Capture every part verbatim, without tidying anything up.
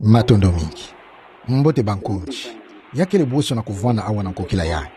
Matondo mingi. Mbote bankonzi. Ya kele bweso na kuvwanda awa na nkokila yayi,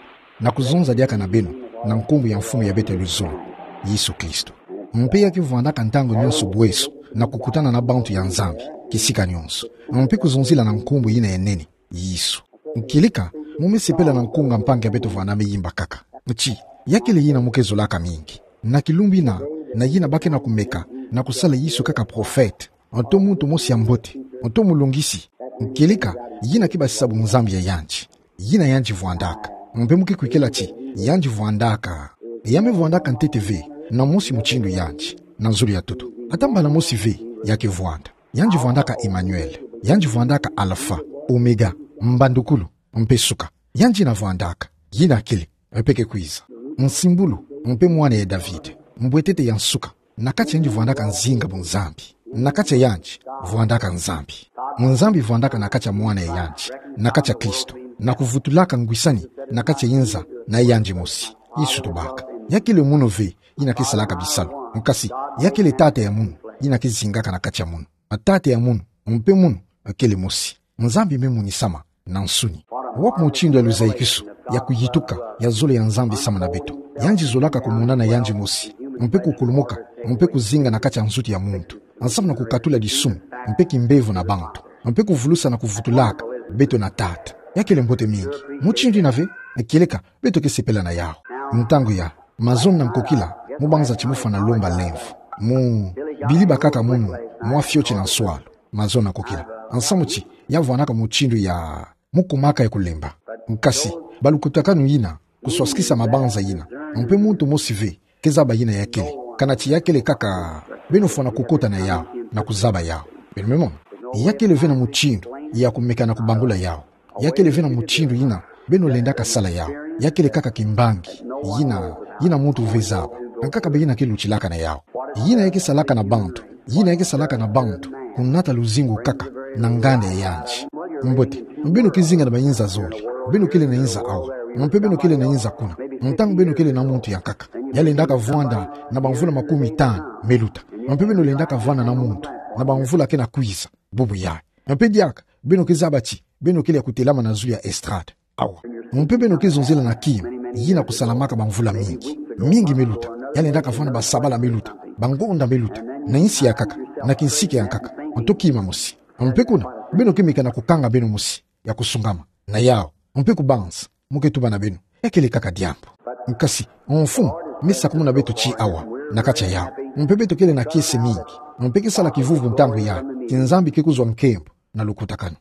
na kuzonza diaka na beno na nkumbu ya Mfumu ya beto ya luzolo, Yesu Kristo. Mpe ya ke vwandaka ntangu nyonso bweso na kukutana na bantu ya Nzambi, kisika nyonso. Mpe kuzonzila na nkumbu yina ya nene, Yesu. Nkieleka, mu me sepela na nkunga mpangi ya beto vwanda me yimba kaka. Ti, ya kele yina mu ke zolaka mingi. Na kilumbu yina, na yina ba ke na kumeka na kusala Yesu kaka prophète, nto muntu mosi ya mbote, nto mulongisi. Nkieleka, yina ke basisa bunzambi ya yandi. Yina yandi vwandaka. Mpe mu ke kwikila ti yandi vwandaka. Ya me vwandaka ntete ve, na mosi mutindu yandi, na zulu ya ntoto. Ata mbala mosi ve ya ke vwanda. Yandi vwandaka Emmanuel. Yandi vwandaka Alpha, Omega, mbandukulu, mpe suka. Yandi na vwandaka. Yina kele, mpe ke kwiza. Nsimbulu, mpe mwana ya David. Mbwetete ya nsuka. Na kati yandi vwandaka nzinga bunzambi. Na kati ya yandi vwandaka Nzambi. Nzambi vwandaka na kati ya mwana ya yandi, na kati ya Kristo, na kuvutulaka ngwisani na kati ya inza na yandi mosi. Yesu tubaka. Ya kele munu ve yina ke salaka bisalu. Nkasi, ya kele tata ya munu, yina ke zingaka na kati ya munu. Tata ya munu, mpe munu, kele mosi. Nzambi me monisama na nsuni. Wapi mutindu ya luzayikisu, ya kuyituka, ya zole ya Nzambi samu na beto. Yandi zolaka kumona na yandi mosi, mpe kukulumuka, mpe kuzinga na kati ya nzutu ya muntu, nsamu na kukatula disumu, mpe kimbevo na bantu, mpe kuvulusa na kuvutulaka beto na Tata. Ya kele mbote mingi. Mutindu yina ve, nkieleka, beto ke sepela na yawu. Ntangu ya, mazono na nkokila, mu banza ti mu fwana lomba lemvo. Mu, bili bakaka munu, mwa fioti na nswalu. Mazono na nkokila. Nsamu ti, ya vwanaka mutindu ya, mu kumaka ya kulemba. Nkasi, balukutakanu yina, kuswasikisa mabanza yina. Mpe muntu mosi ve, ke zaba yina ya kele. Kana ti ya kele kaka, beno fwana kukota na yawu, na kuzaba yawu. Beno me mona. Ya kele ve na mutindu, ya kumeka na kubangula yawu. Ya kele ve na mutindu yina, beno lendaka sala yawu. Ya kele kaka kimbangi, yina, yina muntu ve zaba. Nkaka be yina ke lutilaka na yawu. Yina ya ke salaka na bantu, yina ya ke salaka na bantu, kunata luzingu kaka, na nganda ya yandi. Mbote, beno ke zinga na ba inza zole, beno kele na inza awa, mpe beno kele na inza kuna, ntangu beno kele na muntu ya nkaka. Ya lendaka vwanda, na bamvula makumi tanu, me luta. Mpe beno lendaka vwanda na muntu, na bamvula ke na kwiza, bubu yayi. Mpe diaka, beno ke zaba ti, beno kele ya kutelama na zulu ya estrade. Awa. Mpe beno ke zonzela na kima, yina kusalamaka bamvula mingi. Mingi me luta, ya lendaka vwanda basabala me luta, bangonda me luta, na insi ya nkaka, na kinsika ya nkaka, nto kima mosi. Mpe kuna, beno ke meka na kukanga beno mosi, ya kusungama, na yawu, mpe kubanza, mu ke tuba na beno, ya kele kaka diambu. Nkasi, Mfumu, me sakumuna beto ti awa, na kati ya yawu. Mpe beto kele na kiese mingi. Mpe ke sala kivuvu ntangu ya, ti Nzambi ke kuzwa nkembo, na lukutakanu.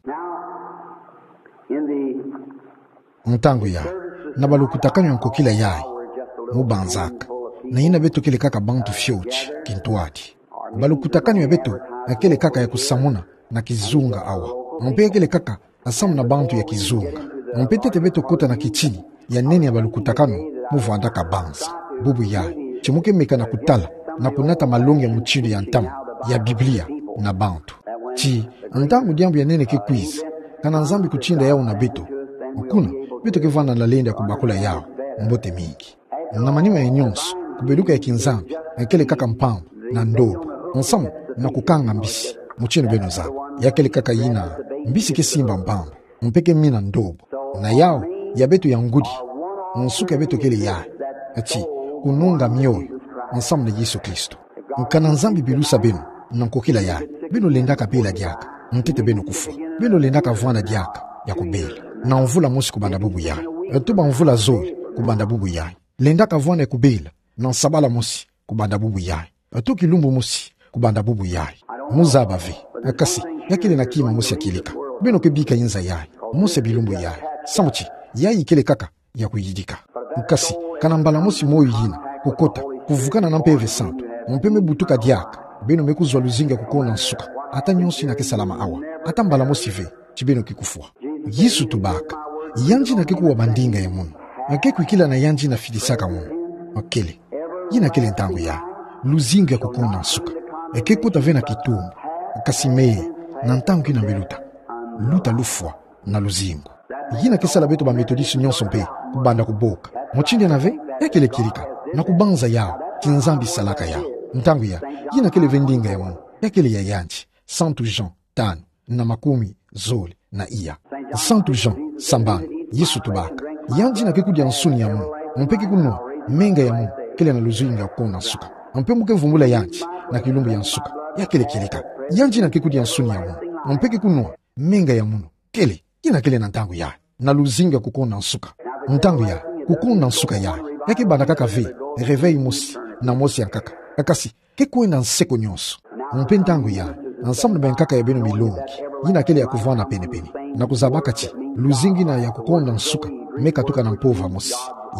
Ntangu ya, na balukutakanu ya nkokila yayi, mu banzaka. Na yina beto kele kaka bantu fioti, kintwadi. Balukutakanu ya beto, ya kele kaka ya kusamuna, na kizunga awa. Mpe ya kele kaka, nsamu na bantu ya kizunga. Mpe ntete beto kota na kitini, ya nene ya balukutakanu, mu vwandaka banza. Bubu yayi, ti mu ke meka na kutala, na kunata malongi ya mutindu ya ntama, ya Biblia, na bantu. Ti, ntangu diambu ya nene ke kwiza, kana Nzambi kutinda yawu na beto. Kuna, beto ke vwanda na lenda kubakula yawu, mbote mingi. Na manima ya nyonso, kubeluka ya kinzambi, ya kele kaka mpamba, na ndobo, nsamu, na kukanga mbisi, mutindu beno zaba. Ya kele kaka yina, mbisi ke simba mpamba, mpe ke mina ndobo. Na yawu, ya beto ya ngudi, nsuka ya beto kele yayi. Ti, kununga mioyo, nsamu na Yesu Kristo. Kana Nzambi bilusa beno, na nkokila yayi, beno lendaka bela diaka, ntete beno kufwa. Beno lendaka vwanda diaka, ya kubela. Na mvula mosi kubanda bubu yayi. Nto bamvula zole, kubanda bubu yayi. Lendaka vwanda ya kubela, na nsabala mosi, kubanda bubu yayi. Nto kilumbu mosi, kubanda bubu yayi. Mu zaba ve. Nkasi, ya kele na kima mosi ya kieleka. Beno ke bika inza yayi. Mosi ya bilumbu yayi. Samu ti, yayi kele kaka, ya kuyidika. Nkasi, kana mbala mosi moyo yina, kukota, kuvukana na Mpeve Santu, mpe me butuka diaka, beno me kuzwa luzingu ya kukona nsuka, ata nyonso yina ke salama awa, ata mbala mosi ve, ti beno ke kufwa. Yesu tubaka, yandi yina ke kuwa bandinga ya munu, ya ke kwikila na yandi yina fidisaka munu. Kele, yina kele ntangu ya, luzingu ya kukona nsuka, ya ke kota ve na kitumbu, nkasi me, na ntangu yina me luta, luta lufwa, na luzingu. Yina ke sala beto ba Methodiste nyonso mpe, kubanda kuboka. Mutindu yina ve, ya kele kieleka, na kubanza yawu, ti Nzambi salaka yawu. Ntangu ya, yina kele ve ndinga ya munu, ya kele ya yandi, Santu Jean, tanu. na makumi zole na iya. Santu Jean, sambani, Yesu tubaka: Yandi na ke kudia nsuni ya munu, mpe ke kunua menga ya munu, kele na luzingu ya kukona nsuka. Mpe mo ke vumbula yandi na kilumbu ya nsuka, ya kele kieleka. Yandi na ke kudia nsuni ya munu, mpe ke kunua menga ya munu, kele, kina kele na ntangu ya, na luzingu ya kukona nsuka. Ntangu ya kukona nsuka ya, ya ke banda kaka ve réveil mosi na mosi ya nkaka. Kasi ke kwenda nseko nyonso. Mpe ntangu ya, nsamu na bankaka ya beno milongi, yina kele ya kuvwanda pene-pene, na kuzabaka ti luzingu yina ya kukona nsuka me katuka na mpova mosi,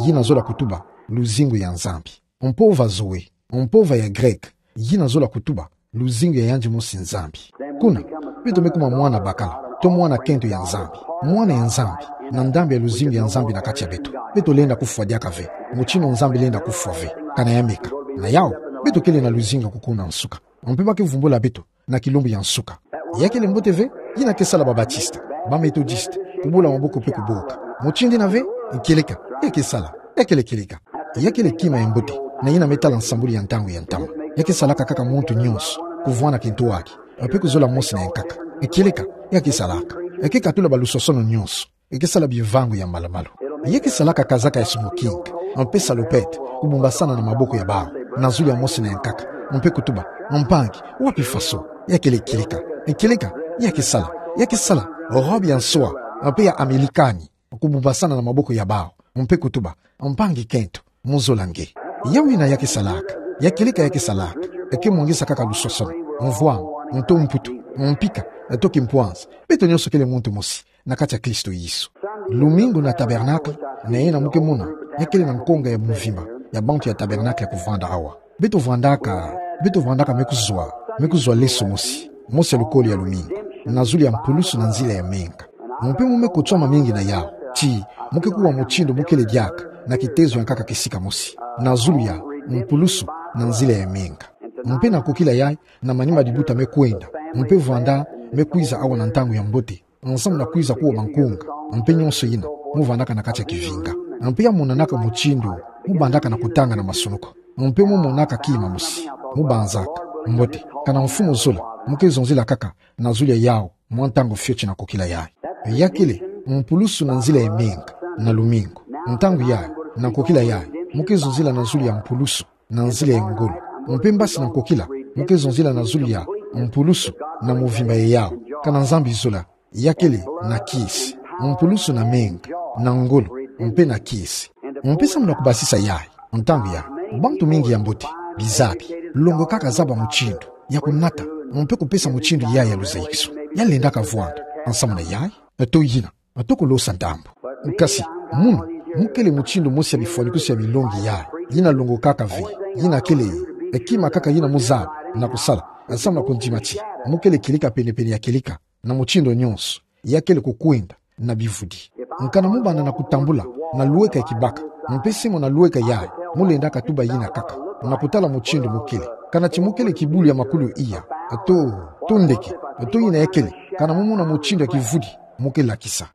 yina zola kutuba luzingu ya Nzambi. Mpova Zoé, mpova ya Greke, yina zola kutuba luzingu ya yandi mosi Nzambi. Kuna, beto me kuma mwana bakala, to mwana kento ya Nzambi, mwana ya Nzambi, na ndambu ya luzingu ya Nzambi na kati ya beto. Beto lenda kufwa diaka ve, mutindu Nzambi lenda kufwa ve, kana ya meka. Na yau, beto kele na luzingu ya kukona nsuka. Mpe ba ke vumbula beto na kilumbu ya nsuka. Ya kele mbote ve, yina ke sala ba Batista, ba Methodiste, kubula maboko mpe kuboka. Mutindu yina ve, kieleka, ya ke sala, ya kele kieleka. Ya kele kima ya mbote, na yina me tala nsambulu ya ntangu ya ntama. Ya ke salaka kaka muntu nyonso kuvwanda kento aki, mpe kuzola mosi na nkaka. Kieleka, ya ke salaka. Ya ke katula balusosono nyonso. Ya ke sala bivangu ya malu-malu. Ya ke salaka kazaka ya smoking, mpe salopette, kubumbasana na maboko ya bawu, na zulu ya mosi na nkaka, mpe kutuba: Mpangi, wapi faso? Ya kele kieleka. Kieleka, ya ke sala, ya ke sala robe ya nsoa, mpe ya Amerikani, kubumbasana na maboko ya bawu, mpe kutuba: Mpangi kento, mo zola nge. Yau yina ya ke salaka, ya kieleka ya ke salaka, ya ke mwangisa kaka lusosono, mvwamu, nto mputu, mpika, to kimpwanza. Beto nyonso kele muntu mosi na kati ya Kristo Yesu. Lumingu na Tabernacle, na yina mo ke mona, ya kele na nkonga ya mvimba ya bantu ya Tabernacle ya kuvwanda awa. Beto vwandaka, beto vwandaka me kuzwa, me kuzwa leso mosi, mosi ya lukolo ya lumingu, na zulu ya mpulusu na nzila ya menga. Mpe mo me kotwama mingi na yau, ti mo ke kuwa mutindu mo kele diaka na kitezo ya nkaka kisika mosi, na zulu ya mpulusu na nzila ya menga. Mpe na kokila yayi, na manima dibuta me kwenda, mpe vwanda me kwiza awa na ntangu ya mbote, nsamu na kwiza kuwa bankunga, mpe nyonso yina, mo vwandaka na kati ya kivinga. Mpe ya monanaka mutindu mo bandaka na kutanga na masunuku, mpe mo monaka kima mosi, mo banzaka: Mbote, kana mfumu zola, mo ke zonzila kaka na zulu ya yau mwa ntangu fioti na kokila yayi. Ya kele mpulusu na nzila ya menga na lumingu. Ntangu yayi, na kokila yayi, mo ke zonzila na zulu ya mpulusu na nzila ya ngolo. Mpe mbasi na kokila, mo ke zonzila na zulu ya mpulusu na mvimba ya yau, kana Nzambi zola, ya kele na kiese, mpulusu na menga, na ngolo, mpe na kiese. Mpe samu na kubasisa yayi, ntangu yayi, bantu mingi ya mbote, bizabi, longokaka zaba mutindu ya kunata, mpe kupesa mutindu yayi ya luzayikiso. Ya lendaka vwanda, nsamu na yayi, to yina, to kolosa ndambu. Kasi, munu, mo kele mutindu mosi ya bifwanikwiso ya milongi yayi, yina longokaka ve, yina kele, e kima kaka yina mo zaba na kusala, nsamu na kundima ti mo kele kieleka pene-pene ya kieleka, na mutindu nyonso, ya kele kukwenda na bivudi. Kana mo banda na kutambula na lweka ya kibaka, mpe semo na lweka yayi, mo lendaka tuba yina kaka, na kutala mutindu mo kele. Kana ti mo kele kibulu ya makulu iya, to, to ndeke, to yina ya kele, kana mo mona mutindu ya kivudi mo ke lakisa.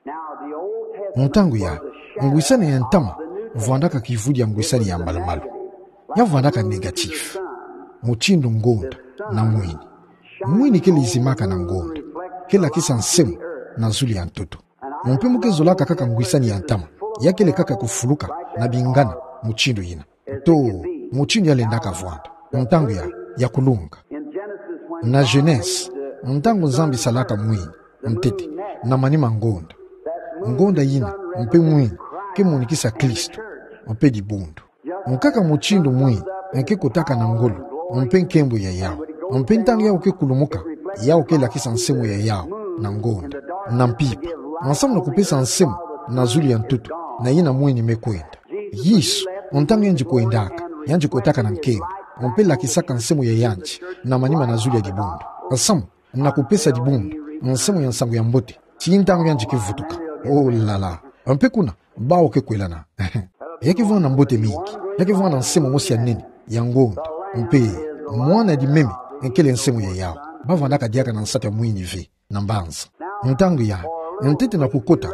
Ntangu yayi, ngwisani ya ntama vwandaka kivudi ya ngwisani ya malu-malu. Ya vwandaka négatif. Mutindu ngonda na mwini. Mwini ke lizimaka na ngonda, ke lakisa nsemo na zulu ya ntoto. Mpe mo ke zolaka kaka ngwisani ya ntama, ya kele kaka kufuluka na bingana mutindu yina, to mutindu ya lendaka vwanda, ntangu ya, ya kulunga. Na Genèse, ntangu Nzambi salaka mwini, ntete, na manima ngonda. Ngonda yina, mpe mwini, ke monikisa Kristo, mpe dibundu. Nkaka mutindu mwini, e ke kotaka na ngolo, mpe nkembo ya yau. Mpe ntangu yau ke kulumuka, yau ke lakisa nsemo ya yau na ngonda, na mpimpa, nsamu na kupesa nsemo na zulu ya ntoto, na yina mwini me kwenda. Yesu, ntangu yandi kwendaka, yandi kotaka na nkembo, mpe lakisaka nsemo ya yandi na manima na zulu ya dibundu, nsamu na kupesa dibundu nsemo ya nsangu ya mbote, ti ntangu yandi ke vutuka. Oh là là. Mpe kuna, bawu ke kwelana. Ya ke vwanda mbote mingi, ya ke vwanda nsemo mosi ya nene, ya ngonda, mpe mwana ya dimeme, e kele nsemo ya yau. Ba vwandaka diaka na nsatu ya mwini ve, na mbanza. Ntangu yayi, ntete na kukota,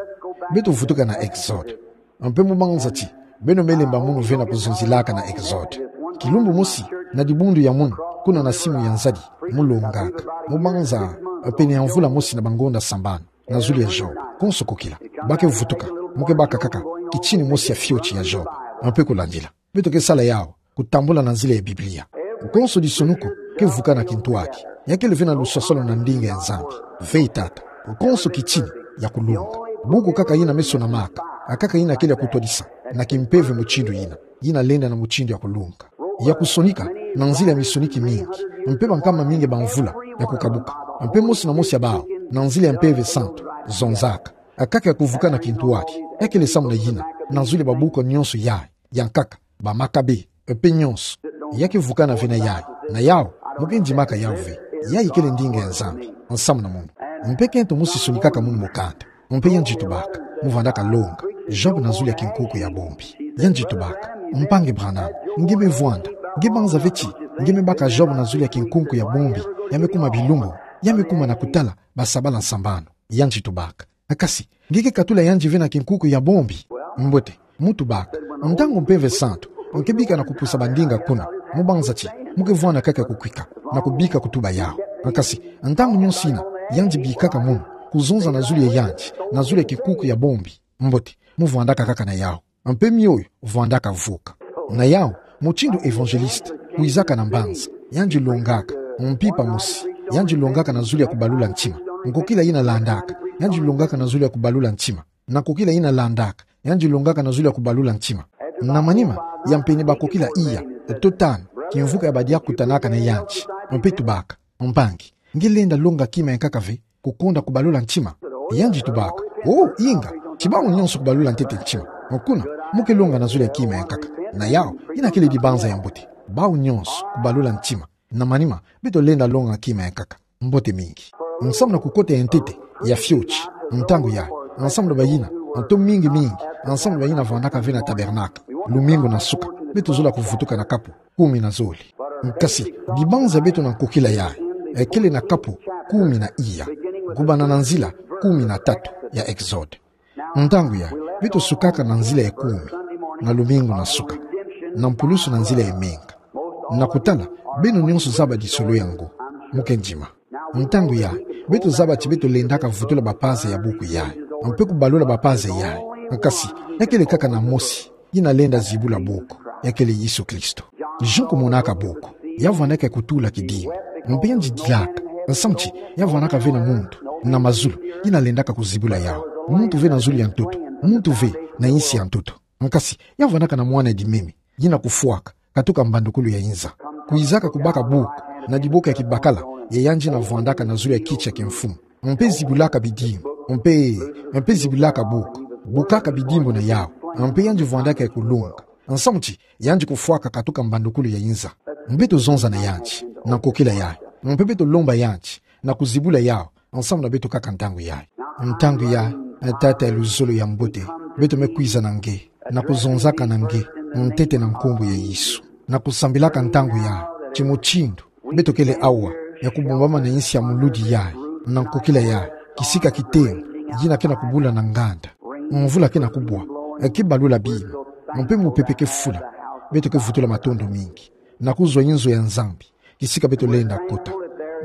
beto vutuka na Exode. Mpe mo banza ti, beno me lemba munu ve na kuzonzilaka na Exode. Kilumbu mosi, na dibundu ya munu, kuna na simu ya nzadi, mu longaka, mu banza, pene ya mvula mosi na bangonda sambanu, na zulu ya Job, konso kokila, ba ke vutuka, mu ke baka kaka, kitini mosi ya fioti ya Job, mpe kulandila. Beto ke sala yawu, kutambula na nzila ya Biblia. Konso disonu ko, ke vuka na kintwadi. Ya kele ve na lusosolo na ndinga ya Nzambi. Ve tata. Konso kitini, ya kulonga. Buku kaka yina me sonamaka. Akaka yina kele ya kutwadisa. Na kimpeve mutindu yina. Yina lenda na mutindu ya kulonga. Ya kusonika, na nzila ya misoniki mingi. Mpe bankama mingi ba mvula, ya kukabuka. Mpe mosi na mosi ya bawu, na nzila ya Mpeve Santu, zonzaka. Akaka ya kuvuka na kintwadi. Ya kele samu na yina, na zulu ya babuku nyonso yayi. Ya nkaka, ba Makabe, mpe nyonso. Ya ke vukana ve na yayi, na yawu, mu ke ndimaka yawu ve. Yayi kele ndinga ya Nzambi, nsamu na munu. Mpe kento mosi sonikaka munu mokanda. Mpe yandi tubaka, mu vandaka longa. Job na zulu ya kinkuku ya bombi. Yandi tubaka, mpangi Branham, nge me vwanda, nge banza ve ti, nge me baka Job na zulu ya kinkuku ya bombi, ya me kuma bilumbu, ya me kuma na kutala, basabala nsambanu. Yandi tubaka. Kasi, nge ke katula yandi ve na kinkuku ya bombi. Mbote, mu tubaka. Ntangu Mpeve Santu, mu ke bika na kupusa bandinga kuna. Mu banza ti, mu ke vwanda kaka kukwika. Na kubika kutuba yawu. Kasi, ntangu nyonso yina, yandi bikaka munu. Kuzonza na zulu ya yandi, na zulu ya kinkuku ya bombi. Mbote, mu vwandaka kaka na yawu. Mpe mioyo, vwandaka vuka. Na yawu, mutindu évangéliste, kwizaka na mbanza, yandi longaka, mpimpa mosi, yandi longaka na zulu ya kubalula ntima. Nkokila yina landaka, yandi longaka na zulu ya kubalula ntima. Na nkokila yina landaka, yandi longaka na zulu ya kubalula ntima. Na manima, ya mpene bakokila iya, to tanu, kimvuka ya badia kutanaka na yandi. Mpe tubaka, mpangi, nge lenda longa kima ya nkaka ve, kukonda kubalula ntima. Yandi tubaka. Oh, inga. Ti bawu nyonso kubalula ntete ntima. Kuna, mu ke longa na zulu ya kima ya nkaka. Na yawu, yina kele dibanza ya mbote. Bawu nyonso kubalula ntima. Na manima, beto lenda longa kima ya nkaka. Mbote mingi. Nsamu na kukota ya ntete, ya fioti. Ntangu yayi, nsamu na bayina, nto mingi mingi, nsamu na bayina vandaka ve na tabernacle. Lumingu na suka, beto zola kuvutuka na kapu kumi na zole. Kasi, dibanza beto na nkokila yayi, e kele na kapu kumi na iya, kubanda na nzila kumi na tatu ya Exode. Ntangu yayi, beto sukaka na nzila ya kumi, na lumingu na suka, na mpulusu na nzila ya menga. Na kutala, beno nyonso zaba lisolo yango, mu ke ndima. Ntangu yayi, beto zaba ti beto lendaka vutula bapaza ya buku yayi, mpe kubalula bapaza yayi. Kasi, ya kele kaka na mosi, yina lenda zibula buku, ya kele Yesu Kristo. João kumonaka buku, ya vandaka kutula kidimbu. Mpe yandi dilaka, nsamu ti, ya vandaka ve na muntu, na mazulu, yina lendaka kuzibula yawu. Muntu ve na zulu ya ntoto, muntu ve na insi ya ntoto. Kasi, ya vandaka na mwana dimeme, yina kufwaka, katuka mbandukulu ya inza. Kwizaka kubaka buku, na diboko ya kibakala, ya yandi yina vwandaka na zulu ya kiti ya kimfumu. Mpe zibulaka bidimbu, mpe, mpe zibulaka buku, bukaka bidimbu na yawu, mpe yandi vwandaka ya kulonga. Nsamu ti, yandi kufwaka katuka mbandukulu ya inza. Mpe beto zonza na yandi, na nkokila yayi. Mpe beto lomba yandi, na kuzibula yawu, nsamu na beto kaka ntangu yayi. Ntangu yayi, e Tata ya luzolo ya mbote, beto me kwiza na nge, na kuzonzaka na nge, ntete na nkumbu ya Yesu. Na kusambilaka ntangu yayi, ti mutindu, beto kele awa, ya kubombama na insi ya muludi yayi, na nkokila yayi, kisika kitengu, yina ke na kubula na nganda. Mvula ke na kubwa, e ke balula bima, mpe mupepe ke fula, beto ke vutula matondo mingi, na kuzwa inzo ya Nzambi, kisika beto lenda kota.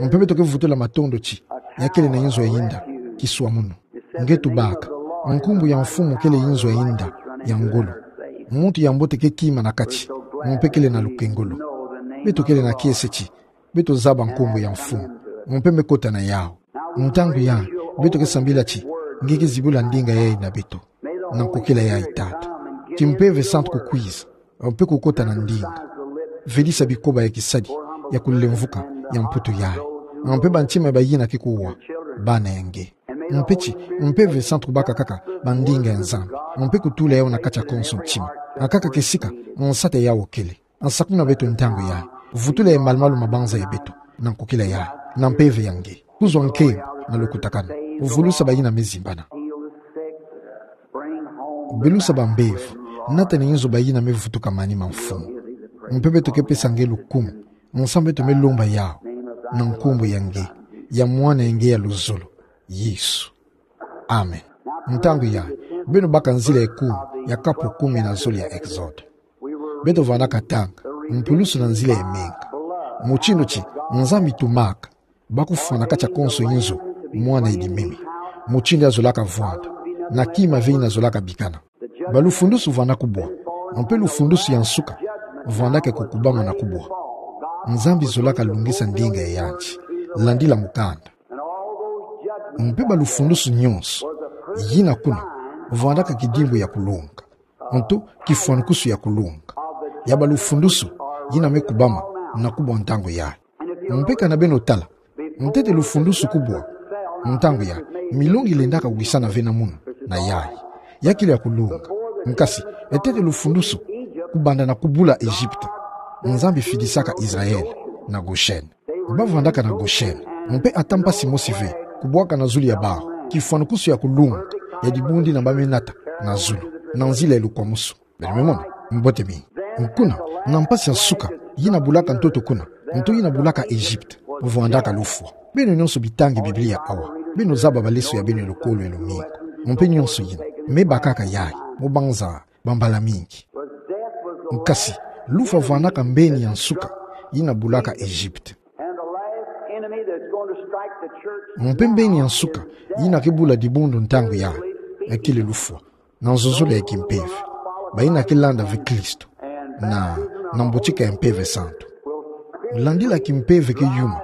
Mpe beto ke vutula matondo ti, ya kele na inzo ya inda, kiswa munu. Nge tubaka, nkumbu ya mfumu kele inzo ya inda, ya ngolo. Muntu ya mbote ke kima na kati, mpe kele na lukengolo. Beto kele na kiese ti, beto zaba nkumbu ya mfumu, mpe me kota na yawu. Ntangu yayi, beto ke sambila ti, nge ke zibula ndinga yayi na beto. Na nkokila yayi Tata. Ti Mpeve Santu kukwiza, mpe kukota na ndinga. Velisa bikoba ya kisadi, ya kulemvuka, ya mputu yayi. Mpe bantima ya bayina ke kuwa, bana ya nge. Mpe ti, Mpeve Santu kubaka kaka, bandinga ya Nzambi. Mpe kutula yawu na kati ya konso ntima. Akaka kisika, nsatu yawu kele. Nsakuna beto ntangu yayi. Vutula ya malumalu mabanza ya beto. Na nkokila yayi. Na mpeve ya nge. Kuzwa nkembo, na lukutakanu. Vulusa bayina me zimbana. Belusa bambevo. Nata na inzo bayina me vutuka manima mfumu. Mpe beto ke pesa nge lukumu. Nsamu beto me lomba yawu. Na nkumbu ya nge. Ya mwana ya nge ya luzolo. Yesu. Amen. Ntangu yayi, beno baka nzila ya kumi, ya kapu kumi na zole ya Exode. Beto vandaka tanga, Mpulusu na nzila ya menga. Mutindu ti Nzambi tumaka bakufwa na kati ya konso inzo Mwana Edimemi. Mutindu ya zolaka vwanda, na kima ve ina zolaka bikana. Balufundusu vwanda kubwa. Mpe lufundusu ya nsuka vwandaka kukubama na kubwa. Nzambi zolaka lungisa ndinga ya yandi. Landila mukanda. Mpe balufundusu nyonso yina kuna vwandaka kidimbu ya kulunga, nto kifwanukusu ya kulunga ya balufundusu yina me kubama na kubwa ntangu yayi. Mpe kana beno tala, ntete lufundusu kubwa ntangu yayi, milongi lendaka wisana ve na munu na yayi. Ya kele ya kulunga. Nkasi, ntete lufundusu kubanda na kubula Egypte, Nzambi fidisaka Israël na Goshen. Bavwandaka na Goshen. Mpe ata mpasi mosi ve kubwaka na zulu ya bawu kifwanukusu ya kulunga ya dibundu yina ba me nata na zulu, na nzila ya lukwamusu. Beno me mona? Mbote mingi. Kuna, na mpasi ya nsuka yina bulaka ntoto kuna, nto yina bulaka Egypte, vwandaka lufwa. Beno nyonso bitangi Biblia awa, beno zaba baleso ya beno ya lukolo ya lumingu. Mpe nyonso yina me bakaka yayi, mu banza bambala mingi. Nkasi, lufwa vwandaka mbeni ya nsuka yina bulaka Egypte. And the last enemy that's going to strike the church Mpe mbeni ya nsuka yina ke bula dibundu ntangu yayi, ya kele lufwa, na nzuzulu ya kimpeve. Bayina ke landa ve Kristo na, na mbotika ya Mpeve Santu. Landila kimpeve ke yuma,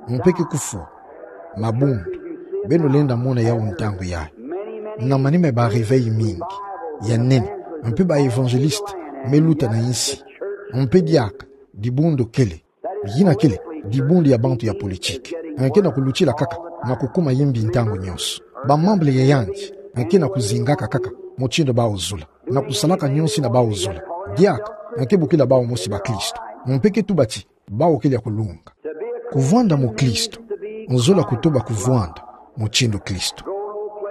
mpe ke kufwa mabundu. Beno lenda mona yawu ntangu yayi. Na manima ya ba réveil mingi ya nene, mpe ba évangéliste me luta na insi. Mpe diaka dibundu kele, yina kele dibundu ya bantu ya politique, ke na kulutila kaka na kukuma yimbi ntangu nyonso. Ba membre ya yandi ke na kuzingaka kaka mutindu bawu zola, na kusalaka nyonso yina bawu zola. Diaka ke bokila bawu mosi bakristo, mpe ke tuba ti bawu kele ya kulunga. Kuvwanda mukristo, nzola kutuba kuvwanda mutindu Kristo.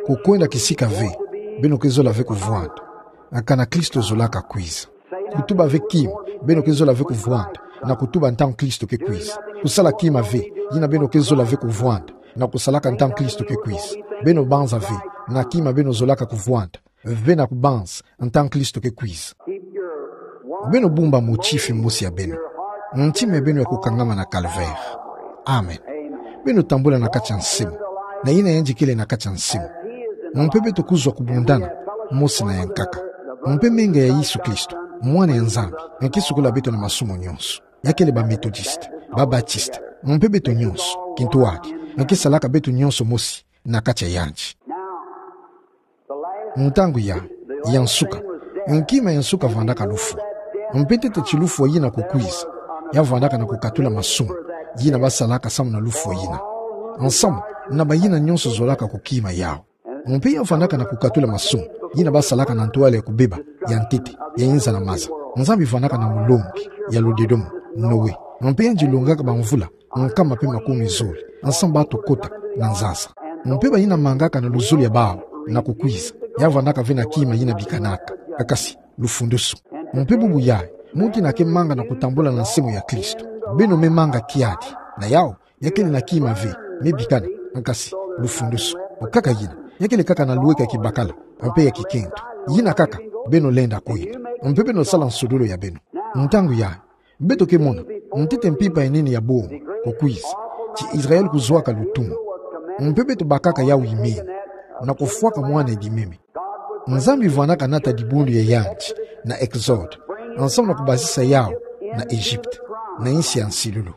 Kukwenda kisika ve beno ke zola ve kuvwanda, kana Kristo zolaka kwiza. Kutuba ve kima beno ke zola ve kuvwanda, na kutuba ntangu Kristo ke kwiza. Kusala kima ve yina beno ke zola ve kuvwanda, na kusalaka ntangu Kristo ke kwiza. Beno banza ve na kima beno zolaka kuvwanda ve na kubanza ntangu Kristo ke kwiza. Beno bumba motifi mosi ya beno, ntima ya beno ya kukangama na Calvaire. Amen. Beno tambula na kati ya nsemo, na yina yandi kele na kati ya nsemo. Mpe beto kuzwa kubundana mosi na yankaka. Mpe menga ya Yesu Kristo, Mwana ya Nzambi, ke sukula beto na masumu nyonso. Ya kele ba Methodiste, ba Baptiste, mpe beto nyonso kintwadi, ke salaka beto nyonso mosi na kati ya yandi. Ntangu ya, ya nsuka, kima ya nsuka vwandaka lufwa. Mpe ntete ti lufwa yina kukwiza, ya vwandaka na kukatula masumu yina basalaka samu na lufwa yina, nsamu na bayina nyonso zolaka kukima yawu. Mpe ya vwandaka na kukatula masumu yina basalaka na ntwala ya kubeba, ya ntete, ya inza na maza. Nzambi vwandaka na mulongi ya ludedomo, Noe. Mpe yandi longaka bamvula nkama mpe makumi zole, nsamu bato kota na nzasa. Mpe bayina mangaka na luzolo ya bawu na kukwiza, ya vwandaka ve na kima yina bikanaka, kasi lufundusu. Mpe bubu yayi, muntu yina ke manga na kutambula na nsemo ya Kristo, beno me manga kiadi na yawu. Ya kele na kima ve me bikana, kasi lufundusu. Okaka yina, ya kele kaka na lweka ya kibakala mpe ya kikento. Yina kaka beno lenda kwenda, mpe beno sala nsodolo ya beno. Ntangu yayi, beto ke mona ntete mpimpa ya nene ya bomo kukwiza, ti Israël kuzwaka lutumu. Mpe beto bakaka yawu imeni, na kufwaka Mwana Edimemi. Nzambi vwandaka nata dibundu ya yandi na Exode, nsamu na kubasisa yawu na Egypte, na insi ya nsilulu.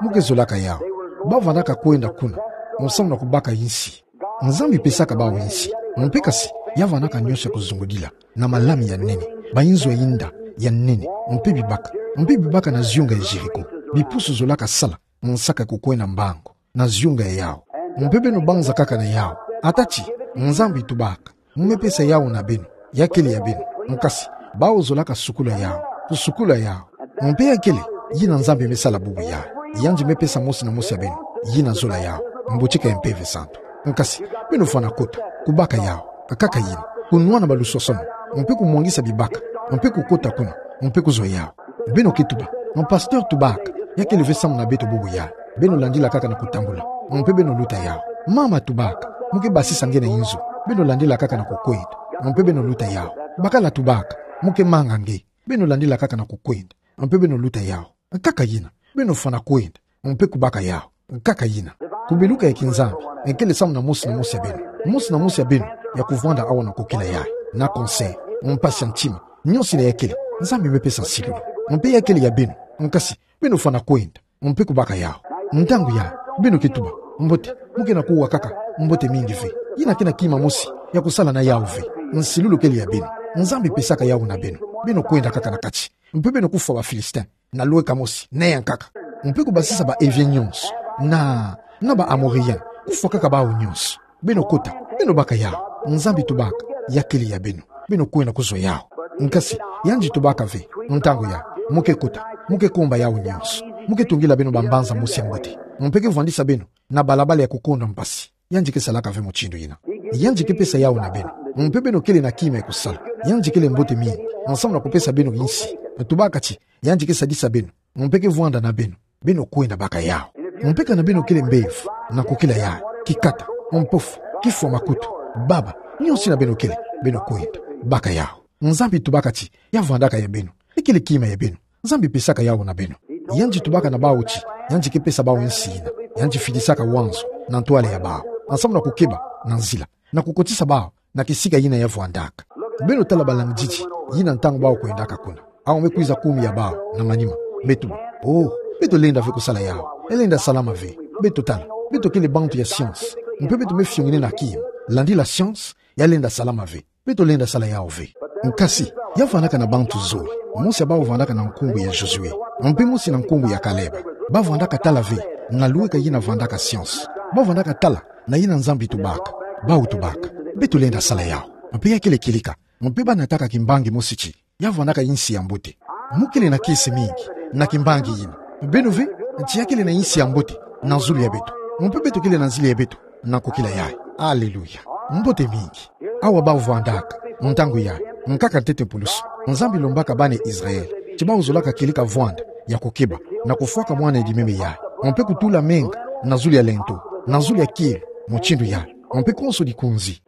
Mu ke zolaka yawu, bavwandaka kwenda kuna, nsamu na kubaka insi. Nzambi pesaka bawu insi, mpe kasi, ya vwandaka nyonso ya kuzungudila, na malami ya nene, bayinzo ya inda ya nene, mpe bibaka, mpe bibaka na ziyonga ya Jéricho. Bipusu zolaka sala nsaka kukwenda mbangu na ziyonga ya yawu. Mpe beno banza kaka na yawu, ata ti Nzambi tubaka, mu me pesa yawu na beno, ya kele ya beno. Kasi, bawu zolaka sukula yawu, kusukula yawu. Mpe ya kele yina Nzambi me sala bubu yayi, yandi me pesa mosi na mosi ya beno yina zola yawu, mbotika ya Mpeve Santu. Kasi, beno fwana kota kubaka yawu, kaka yina, kunwana baluswaswanu, mpe kumwangisa bibaka, mpe kukota kuna, mpe kuzwa yawu. Beno ke tuba, mon pasteur tubaka, ya kele ve samu na beto bubu yayi. Beno landila kaka na kutambula, mpe beno luta yawu. Mama tubaka, mu ke basisa nge na inzo, beno landila kaka na kukwenda, mpe beno luta yawu. Bakala tubaka, mu ke manga nge, beno landila kaka na kukwenda, Mpe beno luta yawu. Nkaka yina. Beno fana kwenda. Mpe kubaka yawu. Nkaka yina. Kubeluka ya kinzambi, ekele samu na mosi na mosi ya beno. Mosi na mosi ya beno, ya kuvwanda awa na kokila yayi. Na cancer, mpasi ya ntima, nionso ina ya kele, Nzambi me pesa nsilulu. Mpe ya kele ya beno. Nkasi, beno fana kwenda. Mpe kubaka yawu. Ntangu yayi, beno ke tuba: Mbote, mu ke na kuwa kaka, mbote mingi ve. Yina ke na kima mosi ya kusala na yawu ve. Nsilulu kele ya beno. Nzambi pesaka yawu na beno. Beno kwenda kaka na kati. Mpe beno kufwa ba Philistin na lweka mosi, neya nkaka. Mpe kubasisa ba Hivien nionso, na, na ba Amorien, kufwa kaka bawu nionso. Beno kota, beno baka yawu. Nzambi tubaka, ya kele ya beno. Beno kwenda kuzwa yawu. Nkasi, yandi tubaka ve, ntangu yayi, mu ke kota, mu ke komba yawu nionso. Mu ke tungila beno ba mbanza mosi ya mbote. Mpe ke vwandisa beno na balabala ya kukonda mpasi. Yandi ke salaka ve mutindu yina. Yandi ke pesa yawu na beno. Mpe beno kele na kima ya kusala. Yandi kele mbote mingi, ensemble na kupesa beno insi. Tubaka ti, yandi ke sadisa beno. Mpe ke vwanda na beno. Beno kwenda baka yawu. Mpe kana beno kele mbevo, na kukila yayi, kikata, mpofu, kifwa makutu, baba, nionso ina beno kele, beno kwenda baka yawu. Nzambi tubaka ti, ya vwandaka ya beno. Ekele kima ya beno. Nzambi pesaka yawu na beno. Yandi tubaka na bawu ti, yandi ke pesa bawu insi yina. Yandi fidisaka wanzo na ntwala ya bawu, ensemble na kukeba na nzila, na kukotisa bawu na kisika yina ya vwandaka. Beno tala ba langididi yina ntangu bawu kwendaka kuna. Awu me kwiza kumi ya bawu na manima. Beto, oh, beto lenda ve kusala yawu. Ya lenda salama ve. Beto tala, beto kele bantu ya science. Mpe beto me fiongene na kima. Landila science, ya lenda salama ve. Beto lenda sala yawu ve. Nkasi, ya vwandaka na bantu zole. Mosi ya bawu vwandaka na nkumbu ya Josué. Mpe mosi na nkumbu ya Caleb. Ba vwandaka tala ve na lweka yina vwandaka science. Ba vwandaka tala na yina Nzambi tubaka. Bawu tubaka. Beto lenda sala yawu. Mpe ya kele kilika. Mpe ba nataka kimbangi mosi ti, ya vwandaka insi ya mbote. Mu kele na kiese mingi na kimbangi yina. Beno ve ti ya kele na insi ya mbote na zulu ya beto. Mpe beto kele na nzila ya beto na kukila yayi. Alléluia. Mbote mingi. Awa bawu vwandaka, ntangu yayi, nkaka ntete mpulusu, Nzambi lombaka bana Israël ti bawu zolaka kilika vwanda ya kukeba na kufwaka mwana edimeme yayi, mpe kutula menga na zulu ya lento, na zulu ya kielo, mutindu yayi, mpe konso dikunzi.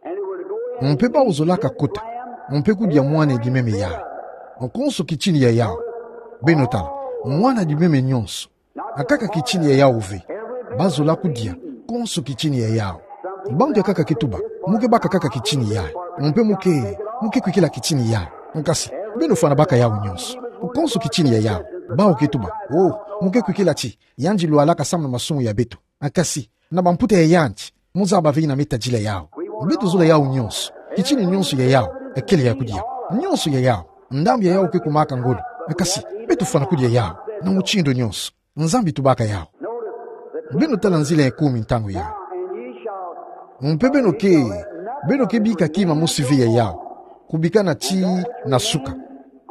Mpe bawu zolaka kota, mpe kudia mwana edimeme yayi, konso kitini ya yawu. Beno tala, mwana edimeme nionso, akaka kitini ya yawu ve. Ba zola kudia konso kitini ya yawu. Bantu ya nkaka ke tuba, mu ke baka kaka kitini yayi, mpe mu ke, mu ke kwikila kitini yayi. Nkasi, beno fana baka yawu nionso, konso kitini ya yawu. Bawu ke tuba, oh, mu ke kwikila ti yandi lwalaka samu na masumu ya beto. Nkasi, na bamputa ya yandi, mu zaba ve yina me tadila yawu. Beto zola yawu nionso. Kitini nionso ya yawu, ekele ya kudia. Nionso ya yawu, ndambu ya yawu ke kumaka ngolo. Nkasi, beto fana kudia yawu na mutindu nionso. Nzambi tubaka yawu. Beno tala nzila ya kumi ntangu yayi. Mpe beno ke, beno ke bika kima mosi ve ya yawu, kubikana tii na suka.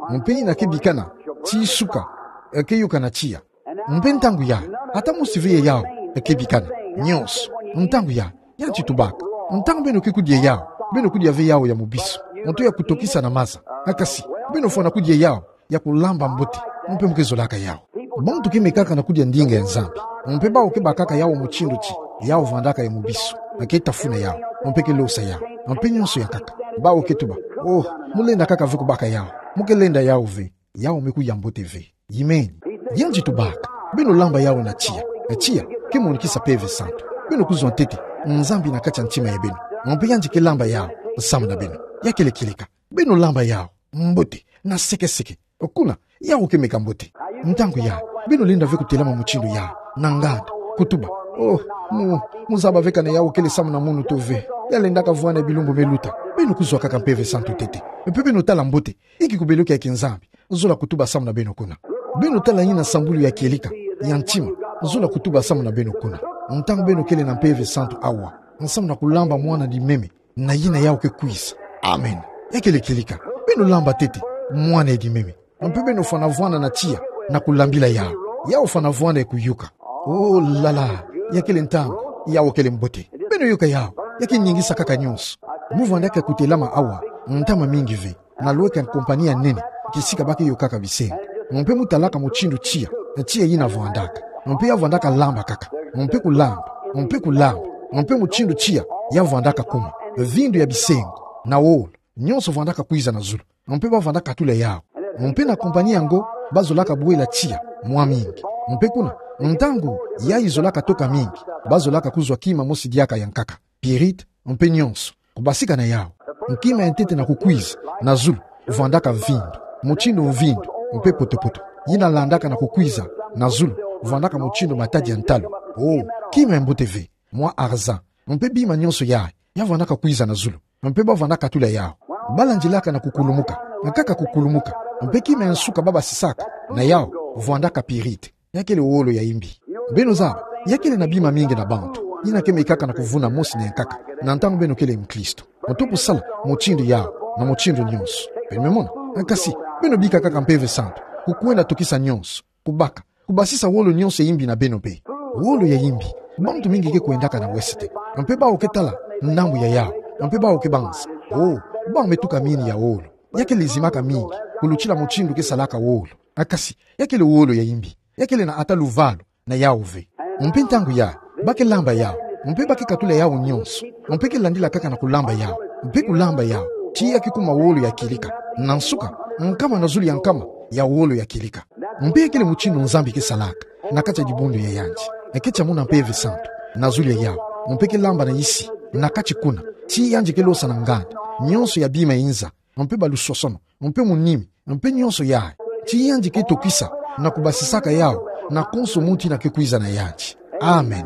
Mpe yina ke bikana tii suka, e ke yokana tiya. Mpe ntangu yayi, ata mosi ve ya yawu e ke bikana. Nionso. Ntangu yayi, yandi tubaka, ntangu beno ke kudia yawu, beno kudia ve yawu ya mubisu, nto ya kutokisa na maza. Nkasi, beno fana kudia yawu ya kulamba mbote, mpe mu ke zolaka yawu. Bantu ke mekaka na kudia ndinga ya Nzambi, mpe bawu ke bakaka yawu mutindu ti yawu vwandaka ya mubisu, e ke tafuna yawu, mpe ke losa yawu, mpe nionso ya nkaka. Bawu ke tuba, oh, mu lenda kaka ve kubaka yawu, mu ke lenda yawu ve. Yawu me kudia mbote ve. Amen. Yandi tubaka, beno lamba yawu na tiya. Na tiya ke monikisa Mpeve Santu. Beno kuzwa ntete Nzambi na kati ya ntima ya beno, mpe yandi ke lamba yawu samu na beno. Ya kele kilika. Beno lamba yawu mbote, na seke-seke. Kuna, yawu ke meka mbote. Ntangu yayi, beno lenda ve kutelama mutindu yawu, na nganda, kutuba: Oh, mu, mu zaba ve kana yawu kele samu na munu to ve. Ya lendaka vwanda bilumbu me luta. Beno kuzwa kaka Mpeve Santu ntete, mpe beno tala mbote inki kubeluka ya kinzambi zola kutuba samu na beno kuna. Beno tala yina sambulu ya kieleka ya ntima zola kutuba samu na beno kuna. Ntangu beno kele na Mpeve Santu awa, samu na kulamba mwana edimeme na yina yawu ke kwiza. Amen. Ya kele kieleka. Beno lamba ntete mwana edimeme, mpe beno fana vwanda na tiya na kulambila yawu. Yawu fana vwanda ya kuyoka. Oh la la, ya kele ntangu, yawu kele mbote. Beno yoka yawu, ya ke ningisa kaka nionso. Mu vwandaka kutelama awa ntama mingi ve, na lweka compagnie ya nene, kisika ba ke yokaka bisengo. Mpe mu talaka mutindu tiya, tiya yina vwandaka. Mpe ya vwandaka lamba kaka, mpe kulamba, mpe kulamba, mpe mutindu tiya ya vwandaka kuma. Vindu ya bisengo, na wolo, nionso vwandaka kwiza na zulu. Mpe ba vwandaka katula yawu. Mpe na compagnie yango, bazolaka bwela tiya mwa mingi. Mpe kuna, ntangu yayi zolaka toka mingi, bazolaka kuzwa kima mosi diaka ya nkaka, pyrite, mpe nionso, kubasika na yawu. Kima ya ntete na kukwiza na zulu, vwandaka mvindu, mutindu mvindu, mpe poto-poto. Yina landaka na kukwiza na zulu, vwandaka mutindu matadi ya ntalu. O, kima ya mbote ve, mwa argent, mpe bima nionso yayi, ya vwandaka kwiza na zulu. Mpe bavwandaka tula yawu. Balandilaka na kukulumuka, nkaka kukulumuka, mpe kima ya nsuka babasisaka na yawu, vwandaka pyrite. Ya kele wolo ya imbi. Beno zaba, ya kele na bima mingi na bantu, yina ke maikaka na kuvuna mosi na ya nkaka, na ntangu beno kele mukristu. Mutu kusala mutindu yawu, na mutindu nionso. Beno me mona, kasi, beno bika kaka Mpeve Santu, kukwenda tokisa nionso, kubaka, kubasisa wolo nionso ya imbi na beno be. Wolo ya imbi, bantu mingi ke kwendaka na wesete. Mpe bawu ke tala ndambu ya yawu, mpe bawu ke banza: O, bawu me tuka mini ya wolo. Ya ke lezimaka mingi kulutila mutindu ke salaka wolo. Kasi, ya kele wolo ya imbi. Ya kele na ata luvalu na yawu ve. Mpe ntangu yayi, ba ke lamba yawu, mpe ba ke katula yawu nionso, mpe ke landila kaka na kulamba yawu, mpe kulamba yawu, tii ya ke kuma wolo ya kilika. Na nsuka, nkama na zulu ya nkama ya wolo ya kilika. Mpe ya kele mutindu Nzambi ke salaka na kati ya dibundu ya yandi. Eke tia muna Mpeve Santu na zulu ya yawu, mpe ke lamba na isi, na kati kuna, tii yandi ke losa na nganda nionso ya bima inza, mpe balusosono, mpe munimi, mpe nionso yayi, tii yandi ke tokisa na kubasisaka yawu na konso muntu yina ke kwiza na yandi. Amen.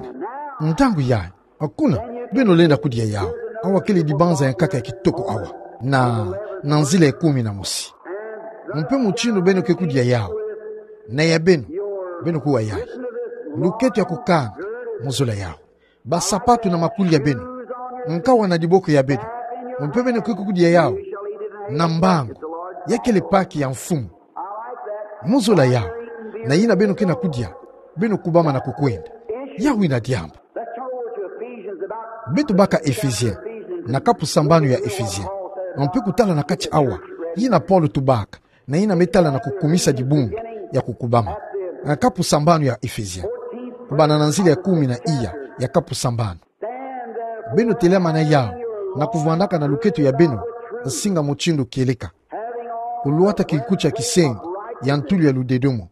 Ntangu yayi, kuna, beno lenda kudia yawu. Awa kele dibanza ya nkaka ya kitoko awa, na, na nzila ya kumi na mosi. Mpe mutindu beno ke kudia yawu, na ya beno, beno kuwa yayi. Luketo ya kukanga mu zola yawu, basapatu na makuli ya beno, nkawa na diboko ya beno, mpe beno ke kudia yawu na mbangu. Ya kele Paki ya Mfumu. Mu zola yawu, na yina beno ke na kudia, beno kubama na kukwenda. Yawu ina diambu. Beto baka Ephésiens, na kapu sambanu ya Ephésiens. Mpe kutala na kati awa, yina Paulo tubaka, na yina me tala na kukumisa dibundu ya kukubama. Na kapu sambanu ya Ephésiens, kubanda na nzila ya kumi na iya ya kapu sambanu. Beno telama na yawu, na kuvwandaka na luketo ya beno nsinga mutindu kieleka, kulwata kinkuti ya kisengo ya ntulu ya ludedomo.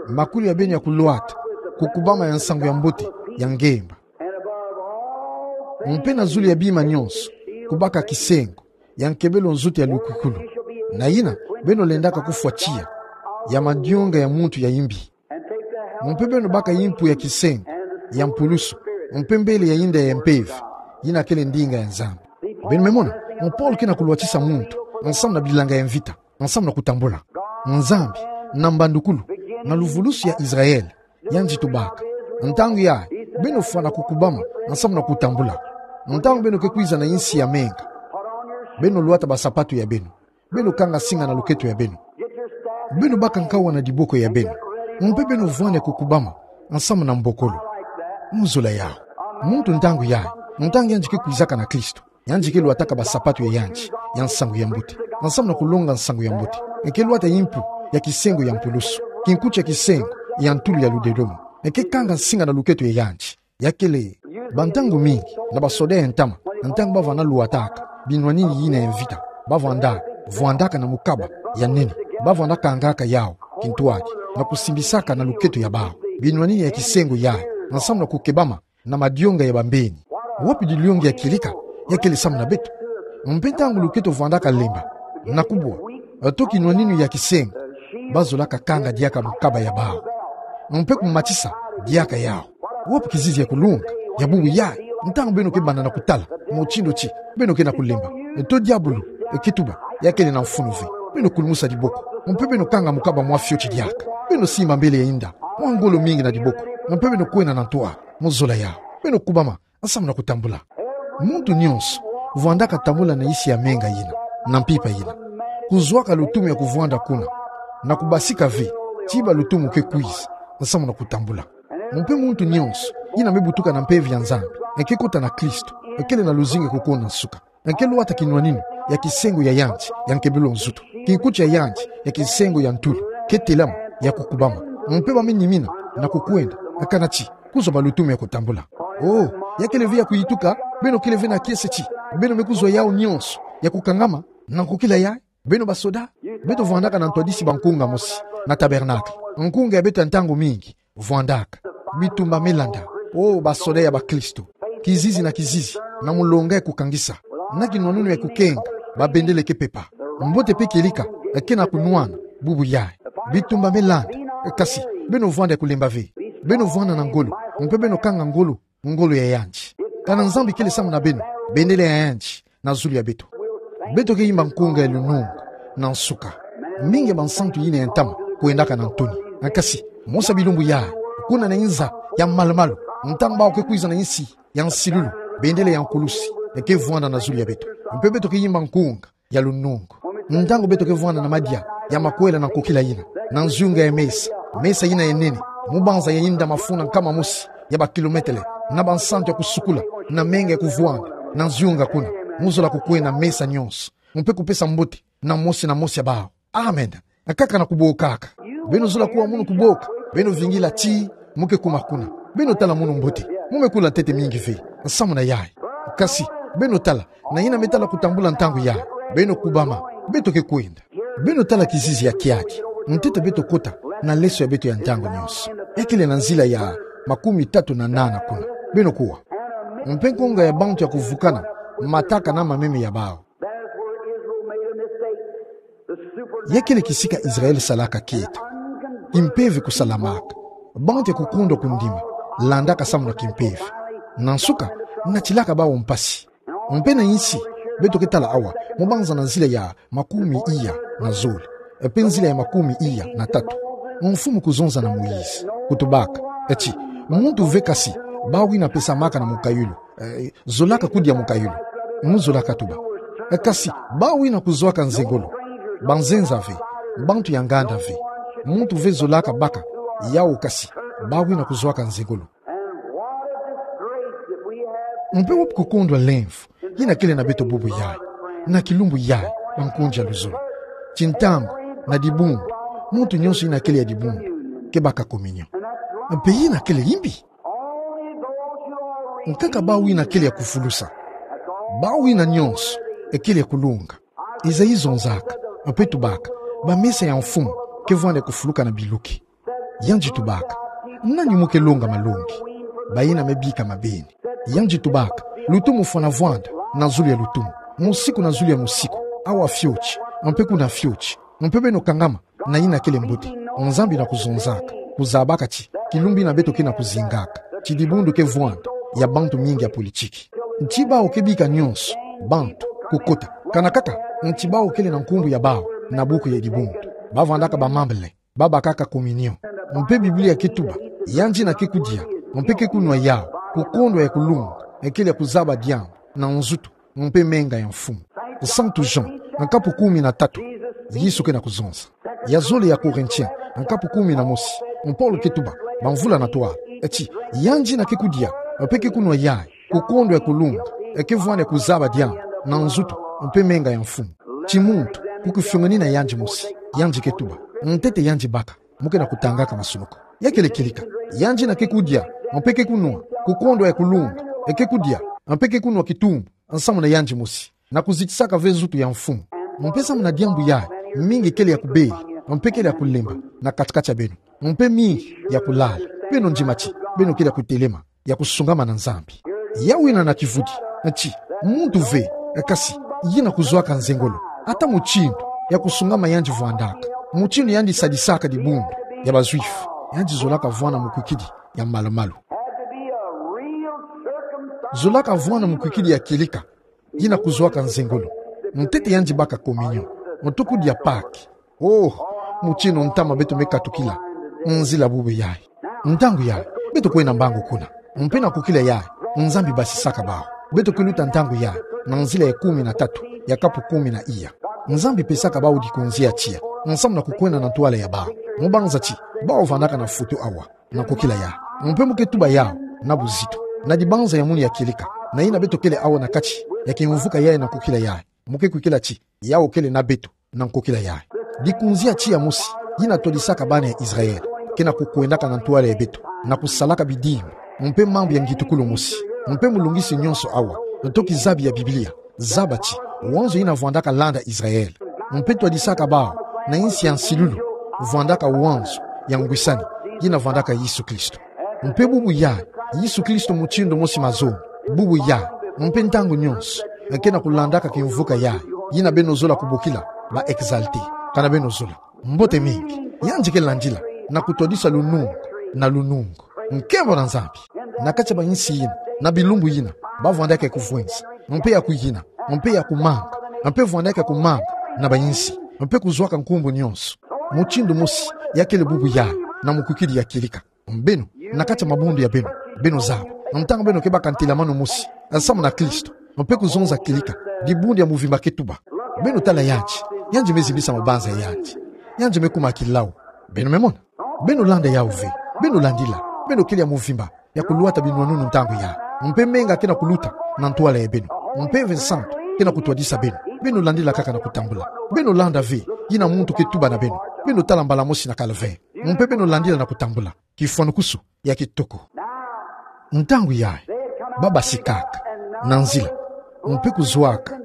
Makuli ya beno ya kulwata kukubama ya nsangu ya mbote ya ngemba. Mpe na zulu ya bima nionso, kubaka kisengo ya nkebelo nzutu ya lukwikulu, na yina beno lendaka kufwa tiya ya madionga ya muntu ya imbi. Mpe beno baka yimpu ya kisengo ya mpulusu, mpe mbele ya inda ya mpeve, yina kele ndinga ya Nzambi. Beno me mona, Paulo ke na kulwatisa muntu nsamu na bilanga ya mvita, nsamu na kutambula. Nzambi, na mbandukulu, na luvulusi ya Israël, yandi tubaka: Ntangu yayi, beno fwana kukubama nsamu na kutambula. Ntangu beno ke kwiza na insi ya menga, beno lwata basapatu ya beno, beno kanga nsinga na luketo ya beno, beno baka nkawa na diboko ya beno, mpe beno vwani ya kukubama nsamu na mbokolo. Mu zola yawu, muntu ntangu yayi, ntangu yandi ke kwizaka na Kristo, yandi ke lwataka basapatu ya yandi ya nsangu ya mbote, nsamu na kulonga nsangu ya mbote. Ke lwata yimpu ya kisengo ya mpulusu, kinkuti ya kisengo ya ntulu ya ludedomo. Ke kanga nsinga na luketo ya yandi. Ya kele, bantangu mingi, na basoda ya ntama, ntangu bavana lwataka binwanini yina ya mvita, bavanda vwandaka na mukaba ya nene, bavanda kangaka yawu kintwadi, na kusimbisaka na luketo ya bawu binwanini ya kisengo yayi, nsamu na kukebama na madionga ya bambeni. Wapi diliongi ya kieleka? Ya kele samu na beto. Mpe ntangu luketo vwandaka lemba, na kubwa, to kinwaninu ya kisengo, bazolaka kanga diaka mukaba ya bawu, mpe kumatisa diaka yawu. Wapi kizizi ya kulunga ya bubu yayi? Ntangu beno ke banda na kutala mutindu ti beno ke na kulemba, to diabulu ke tuba, ya kele na mfunu ve, beno kulumusa diboko, mpe beno kanga mukaba mwa fioti diaka. Beno simba mbele ya inda mwa ngolo mingi na diboko, mpe beno kwenda na ntwala. Mu zola yawu, beno kubama nsamu na kutambula. Muntu nyonso vwandaka tambula na insi ya menga yina, na mpimpa yina, kuzwaka lutumu ya kuvwanda kuna, na kubasika ve, tiba lutumu ke kwiza nsamu na kutambula. Mpe muntu nyonso yina me butuka na mpeve ya Nzambi, ke kota na Kristo, kele na luzingu ya kukuna nsuka. Ke lwata kinwaninu ya kisengo ya yandi ya nkebelo nzutu, kinkuti ya yandi ya kisengo ya ntulu, ke telama, ya kukubama. Mpe ba me nimina na kukwenda, kana ti kuzwa ba lutumu ya kutambula. Oh, ya kele ve ya kuyituka, beno kele ve na kiese ti beno me kuzwa yawu nyonso ya kukangama, na kukila yayi. Beno basoda, beto vwandaka na ntwadisi ba nkunga mosi, na tabernacle. Nkunga ya beto ya ntangu mingi vwandaka. Bitumba me landa. O basoda ya bakristo, kizizi na kizizi, na mulonga ya kukangisa, na kinwanunu ya kukenga, babendele ke pepa. Mbote pe kieleka ke na kunwana bubu yayi. Bitumba me landa. Kasi beno vwanda ya kulemba ve. Beno vwanda na ngolo, mpe beno kanga ngolo, ngolo ya yandi. Kana Nzambi kele samu na beno, bendele ya yandi na zulu ya beto. Beto ke yimba nkunga ya lunungu na nsuka. Mingi ya bansantu yina ya ntama kwendaka na ntoni. Kasi mosi ya bilumbu yayi, kuna na inza ya malu-malu, ntangu bawu ke kwiza na insi ya nsilulu, bendele ya nkulusi ke vwanda na zulu ya beto. Mpe beto ke yimba nkunga ya lunungu ntangu beto ke vwanda na madia ya makwela na nkokila yina, na nzunga ya mesa, mesa yina ya nene, mu banza ya inda mafunda nkama mosi ya bakilometele, na bansantu ya kusukula, na menga ya kuvwanda na nzunga kuna, mu zola kukwenda mesa nyonso, mpe kupesa mbote na mosi na mosi ya bawu. Amen. Kaka na kubokaka. Beno zola kuwa munu kuboka. Beno vingila ti mu ke kuma kuna. Beno tala munu mbote. Mu me kula ntete mingi ve samu na yayi. Kasi beno tala, na yina me tala kutambula ntangu yayi. Beno kubama. Beto ke kwenda. Beno tala kizizi ya kiaki. Ntete beto kota na leso ya beto ya ntangu nyonso. Ekele na nzila ya makumi tatu na nana kuna. Beno kuwa. Mpe nkunga ya bantu ya kuvukana mataka na mameme ya bawu. There's where Israel made a mistake. The super- Ya kele kisika Israel salaka kieto. Kimpeve kusalamaka. Bantu ya kukundwa kundima landaka samu na kimpeve. Na nsuka, natilaka bawu mpasi. Mpe na insi, beto ke tala awa, mu banza na nzila ya makumi iya na zole, mpe nzila ya makumi iya na tatu, mfumu kuzonza na Moïse, kutubaka ti: Muntu ve kasi bawu yina pesamaka na mukayulu, eh, zolaka kudia mukayulu, mu zolaka tuba. Eh, kasi bawu yina kuzwaka nzengolo, banzenza ve, bantu ya nganda ve, muntu ve zolaka baka yawu, kasi bawu yina kuzwaka nzengolo. And what a disgrace that we have. Mpe wapi kukundwa lemvo yina kele na beto bubu yayi, na kilumbu yayi, bankunzi ya luzolo? Ti ntangu, na dibundu, muntu nyonso yina kele ya dibundu ke baka communion. Mpe yina kele yimbi. Nkaka bawu yina kele ya kufulusa. Bawu yina nyonso kele ya kulunga. Isaïe zonzaka, mpe tubaka, bamesa ya mfumu ke vwanda ya kufuluka na biluki. Yandi tubaka: Nani mu ke longa malongi? Bayina me bika mabeni. Yandi tubaka: Lutumu fwana vwanda na zulu ya lutumu, musiku na zulu ya musiku, awa fioti, mpe kuna fioti, mpe beno kangama na yina kele mbote. Nzambi na kuzonzaka, kuzabaka ti kilumbu yina beto ke na kuzingaka, ti dibundu ke vwanda ya bantu mingi ya politiki. Nti bawu ke bika nyonso bantu kukota, kana kaka nti bawu kele na nkumbu ya bawu na buku ya dibundu. Bavwandaka ba membres, babakaka communion. Mpe Biblia ke tuba: Yandi yina ke kudia mpe ke kunwa yawu, kukondwa ya kulunga, kele ya kuzaba diambu na nzutu mpe menga ya mfumu. Santu Jean, nkapu kumi na tatu, Yesu ke na kuzonza. Ya zole ya Corinthiens, nkapu kumi na mosi, Paulo ke tuba, bamvula na ntwala, ti: Yandi yina ke kudia mpe ke kunwa yayi, kukondwa ya kulunga, ke vwanda ya kuzaba diambu na nzutu mpe menga ya mfumu. Ti muntu, ku kifiongo ni na yandi mosi, yandi ke tuba, ntete yandi baka, mu ke na kutangaka masunuku. Ya kele kieleka, yandi yina ke kudia mpe ke kunwa, kukondwa ya kulunga, ke kudia mpe ke kunwa kitumbu nsamu na yandi mosi, na kuzitisaka ve nzutu ya mfumu. Mpe samu na diambu yayi, mingi kele ya kubela mpe kele ya kulemba na kati-kati ya beno, mpe mingi ya kulala. Beno ndima ti beno kele ya kutelema, ya kusungama na Nzambi. Yawu yina na kivudi, ti muntu ve, kasi yina kuzwaka nzengolo, ata mutindu ya kusungama yandi vwandaka, mutindu yandi sadisaka dibundu ya ba Juifs, yandi zolaka vwanda mukwikidi ya malu-malu. Zolaka vwanda mukwikidi ya kieleka, yina kuzwaka nzengolo. Ntete yandi baka communion, ntuku dia Pâques. Oh, mutindu ntama beto me katukila nzila bubu yayi. Ntangu yayi, beto kwenda mbangu kuna. Mpe na nkokila yayi, Nzambi basisaka bawu. Beto ke luta ntangu yayi na nzila ya kumi na tatu ya kapu kumi na iya. Nzambi pesaka bawu dikunzi ya tiya nsamu na kukwenda na ntwala ya bawu. Mu banza ti bawu vandaka na foto awa na nkokila yayi. Mpe mu ke tuba yawu na buzitu, na dibanza ya munu ya kieleka, na yina beto kele awa na kati ya kimvuka yayi na nkokila yayi, mu ke kwikila ti yawu kele na beto na nkokila yayi. Dikunzi ya tiya mosi yina twadisaka bana ya Israël ke na kukwendaka na ntwala ya beto, na kusalaka bidimbu mpe mambu ya ngitukulu mosi. Mpe mulungisi nyonso awa, ntoki zabi ya Biblia, zaba ti wanzo yina vwandaka landa Israël, mpe twadisaka bawu na insi ya nsilulu, vwandaka wanzo ya ngwisani, yina vwandaka Yesu Kristo. Mpe bubu yayi, Yesu Kristo mutindu mosi mazono, bubu yayi, mpe ntangu nyonso, ke na kulandaka kimvuka yayi, yina beno zola kubokila ba exalté, kana beno zola. Mbote mingi, yandi ke landila, na kutwadisa lunungu na lunungu. Nkembo na Nzambi. Na kati ya bayinsi yina, na bilumbu yina, ba vwandaka ya kuvwenza, mpe ya kuyina, mpe ya kumanga, mpe vwandaka ya kumanga na bayinsi, mpe kuzwaka nkumbu nyonso. Mutindu mosi, ya kele bubu yayi, na mukwikidi ya kilika. Beno, na kati ya mabundu ya beno, beno zaba, ntangu beno ke baka ntelamanu mosi, samu na Kristo, mpe kuzonza kilika, dibundu ya muvimba ke tuba. Beno tala yandi, yandi me zimbisa mabanza ya yandi, yandi me kuma kilau. Beno me mona? Beno landa yawu ve, beno landila, beno kele ya muvimba, ya kulwata binwanunu ntangu yayi. Mpe menga ke na kuluta na ntwala ya beno. Mpe Mve Santu ke na kutwadisa beno. Beno landila kaka na kutambula. Beno landa ve, yina muntu ke tuba na beno. Beno tala mbala mosi na calvaire. Mpe beno landila na kutambula. Kifwanukusu ya kitoko. Ntangu yayi, ba basikaka na nzila, mpe kuzwaka.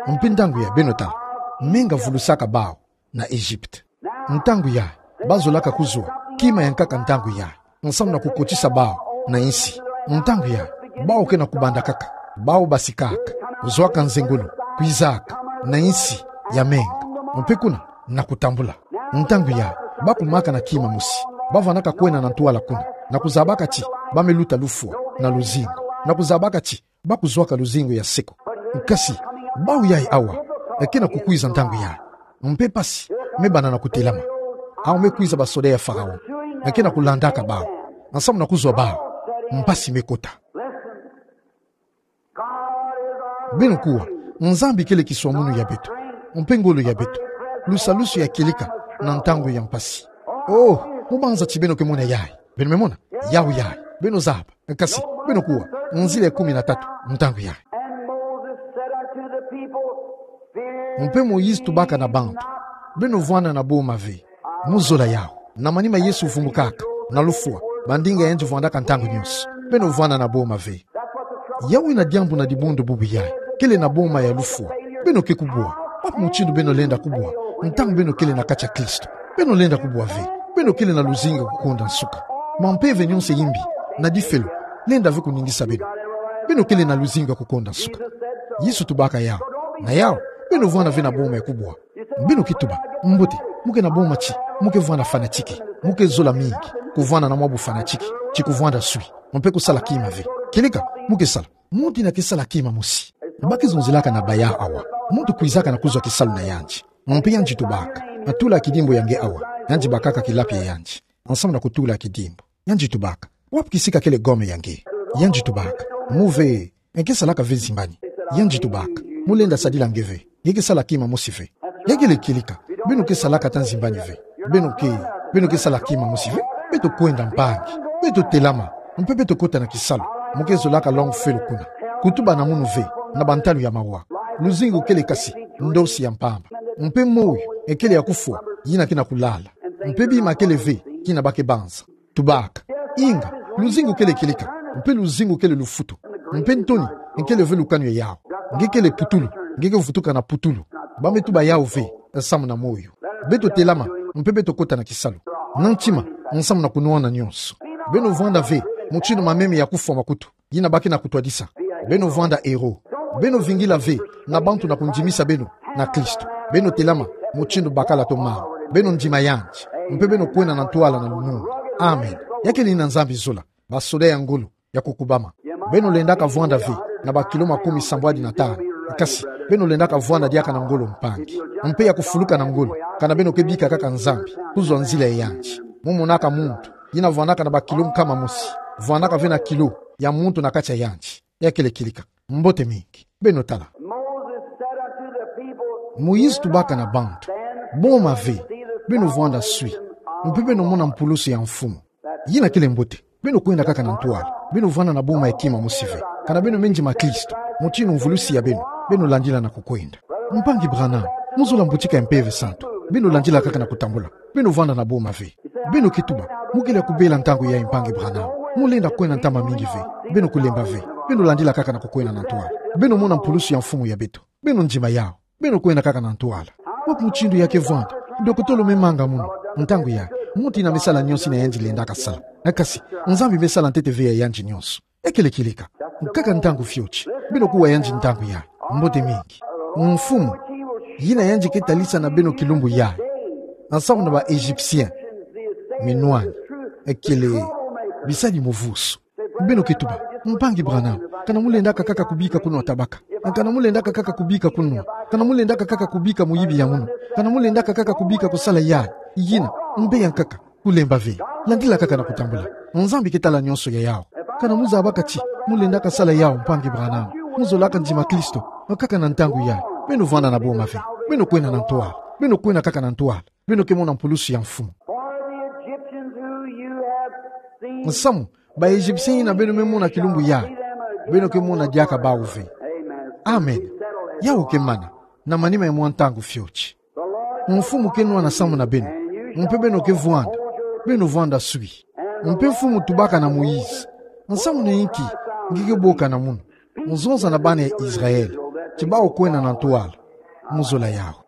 Mpe ntangu yayi, beno tala, menga vulusaka bawu na Egypte. Ntangu yayi, ba zolaka kuzwa kima ya nkaka ntangu yayi, nsamu na kukotisa bawu na insi. Ntangu yayi, bawu ke na kubanda kaka, bawu basikaka, kuzwaka nzengolo, kwizaka na insi ya menga, mpe kuna na kutambula. Ntangu yayi, ba kumaka na kima mosi, ba vwanaka kwenda na ntwala kuna, na kuzabaka ti ba me luta lufwa na luzingu, na kuzabaka ti ba kuzwaka luzingu ya seko. Kasi, bawu yayi awa, ke na kukwiza ntangu yayi. Mpe mpasi me banda na kutelama. Awu me kwiza basoda ya Faraon, ke na kulandaka bawu, nsamu na kuzwa bawu. Mpasi me kota. Beno kuwa, Nzambi kele kiswamunu ya beto, mpe ngolo ya beto, lusalusu ya kilika na ntangu ya mpasi. Oh, mu banza ti beno ke mona yayi. Beno me mona? Yawu yayi. Beno zaba. Kasi, beno kuwa, nzila ya kumi na tatu, ntangu yayi. And Moses said unto the people, Fear Mpe Moïse tubaka na bantu: Beno vwanda na boma ve. Mu zola yawu, na manima Yesu vumbukaka na lufwa, bandinga yandi vwandaka ntangu nyonso. Beno vwanda na boma ve. Yawu yina diambu na dibundu bubu yayi, kele na boma ya lufwa. Beno ke kubwa. Wapi mutindu beno lenda kubwa ntangu beno kele na kati ya Kristo? Beno lenda kubwa ve. Beno kele na luzingu ya kukonda nsuka. Mampeve nyonso ya imbi na difelo lenda ve kuningisa beno. Beno kele na luzingu ya kukonda nsuka. Yesu tubaka yawu. Na yawu, beno vwanda ve na boma ya kubwa. Beno ke tuba: Mbote, mu ke na boma ti mu ke vwanda fanatique. Mu ke zola mingi kuvwanda na mwa bufanatique ti kuvwanda swi, mpe kusala kima ve. Kilika, mu ke sala. Muntu yina ke sala kima mosi. Ba ke zonzelaka na baya awa. Muntu kwizaka na kuzwa kisalu na yandi. Mpe yandi tubaka: Natula kidimbu ya nge awa. Yandi bakaka kilapi ya yandi, nsamu na kutula kidimbu. Yandi tubaka: Wapi kisika kele gomme ya nge? Yandi tubaka: Mu ve, nge ke salaka ve nzimbani. Yandi tubaka: Mu lenda sadila nge ve. Nge ke sala kima mosi ve. Ya kele kilika. Beno ke salaka ata nzimbani ve. Beno ke, beno ke sala kima mosi ve. Beto kwenda mpangi. Beto telama. Mpe beto kota na kisalu. Mu ke zolaka longo felo kuna, kutuba na munu ve na bantalu ya mawa. Luzingu kele kasi ndosi ya mpamba. Mpe moyo kele ya kufwa, yina ke na kulala. Mpe bima kele ve kina ba ke banza. Tubaka: Inga, luzingu kele kilika, mpe luzingu kele lufutu, mpe ntoni kele ve lukanu ya yawu. Nge kele putulu, nge ke vutuka na putulu. Ba me tuba yawu ve nsamu na moyo. Beto telama, mpe beto kota na kisalu. Na ntima, nsamu na kunwana nyonso. Beno vwanda ve mutindu mameme ya kufwa makutu, yina ba ke na kutwadisa. Beno vwanda héros. Beno vingila ve na bantu na kundimisa beno na Kristo. Beno telama mutindu bakala to mama. Beno ndima yandi. Mpe beno kwenda na ntwala na lunungu. Amen. Ya kele yina Nzambi zola. Basoda ya ngolo ya kukubama. Beno lendaka vwanda ve na bakilo makumi sambwadi na tanu. Kasi, beno lendaka vwanda diaka na ngolo mpangi, mpe ya kufuluka na ngolo, kana beno ke bika kaka Nzambi kuzwa nzila ya yandi. Mu monaka muntu yina vwandaka na bakilo nkama mosi, vwandaka ve na kilo ya muntu na kati ya yandi. Ya kele kilika. Mbote mingi. Beno tala. Moses said unto the people, Moïse tubaka na bantu: Boma ve, beno vwanda swi, mpe beno mona mpulusu ya mfumu. Yina kele mbote. Beno kwenda kaka na ntwala. Beno vwanda na boma ya kima mosi ve. Kana beno me ndima Kristo, mutindu mvulusi ya beno, beno landila na kukwenda. Mpangi Branham, mu zola mbutika ya Mpeve Santu. Beno landila kaka na kutambula. Beno vwanda na boma ve. Beno ke tuba: Mu kele ya kubela ntangu yayi, Mpangi Branham. Mu lenda kwenda ntama mingi ve. Beno kulemba ve. Beno landila kaka na kukwenda na ntwala. Beno mona mpulusu ya mfumu ya beto. Beno ndima yawu. Beno kwenda kaka na ntwala. Wapi mutindu ya ke vwanda? Dokotolo me manga munu. Ntangu yayi, muntu ina me sala nyonso ina yandi lendaka sala. Kasi, Nzambi me sala ntete ve ya yandi nyonso. Ekele kileka. Nkaka ntangu fioti. Beno kuwa yandi ntangu yayi. Mbote mingi. Mfumu, yina yandi ke talisa na beno kilumbu yayi, nsamu na ba Égyptiens, minwani, ekele bisadi mu vusu. Beno ke tuba: Mpangi Branham, kana mu lendaka kaka kubika kuno tabaka. Kana mu lendaka kaka kubika kuno. Kana mu lendaka kaka kubika muyibi ya munu. Kana mu lendaka kaka kubika kusala yayi, yina, mbe ya nkaka. Kulemba ve. Landila kaka na kutambula. Nzambi ke tala nyonso ya yawu. Kana mu zabaka ti mu lendaka sala yawu, Mpangi Branham, mu zolaka ndima Kristo, kaka na ntangu yayi, beno vwanda na boma ve. Beno kwenda na ntwala. Beno kwenda kaka na ntwala. Beno ke mona mpulusu ya mfumu. For the Egyptians who you have seen, nsamu, ba Égyptiens ina beno me mona kilumbu yayi, beno ke mona diaka bawu ve. Amen. Amen. Yawu ke mana, na manima ya mwa ntangu fioti. Mfumu ke nwana samu na beno, mpe beno ke vwanda, beno vwanda swi. Mpe Mfumu tubaka na Moïse: Nsamu na inki nge ke boka na munu? Mu zonza na bana ya Israël ti bawu kwenda na ntwala. Mu zola yawu.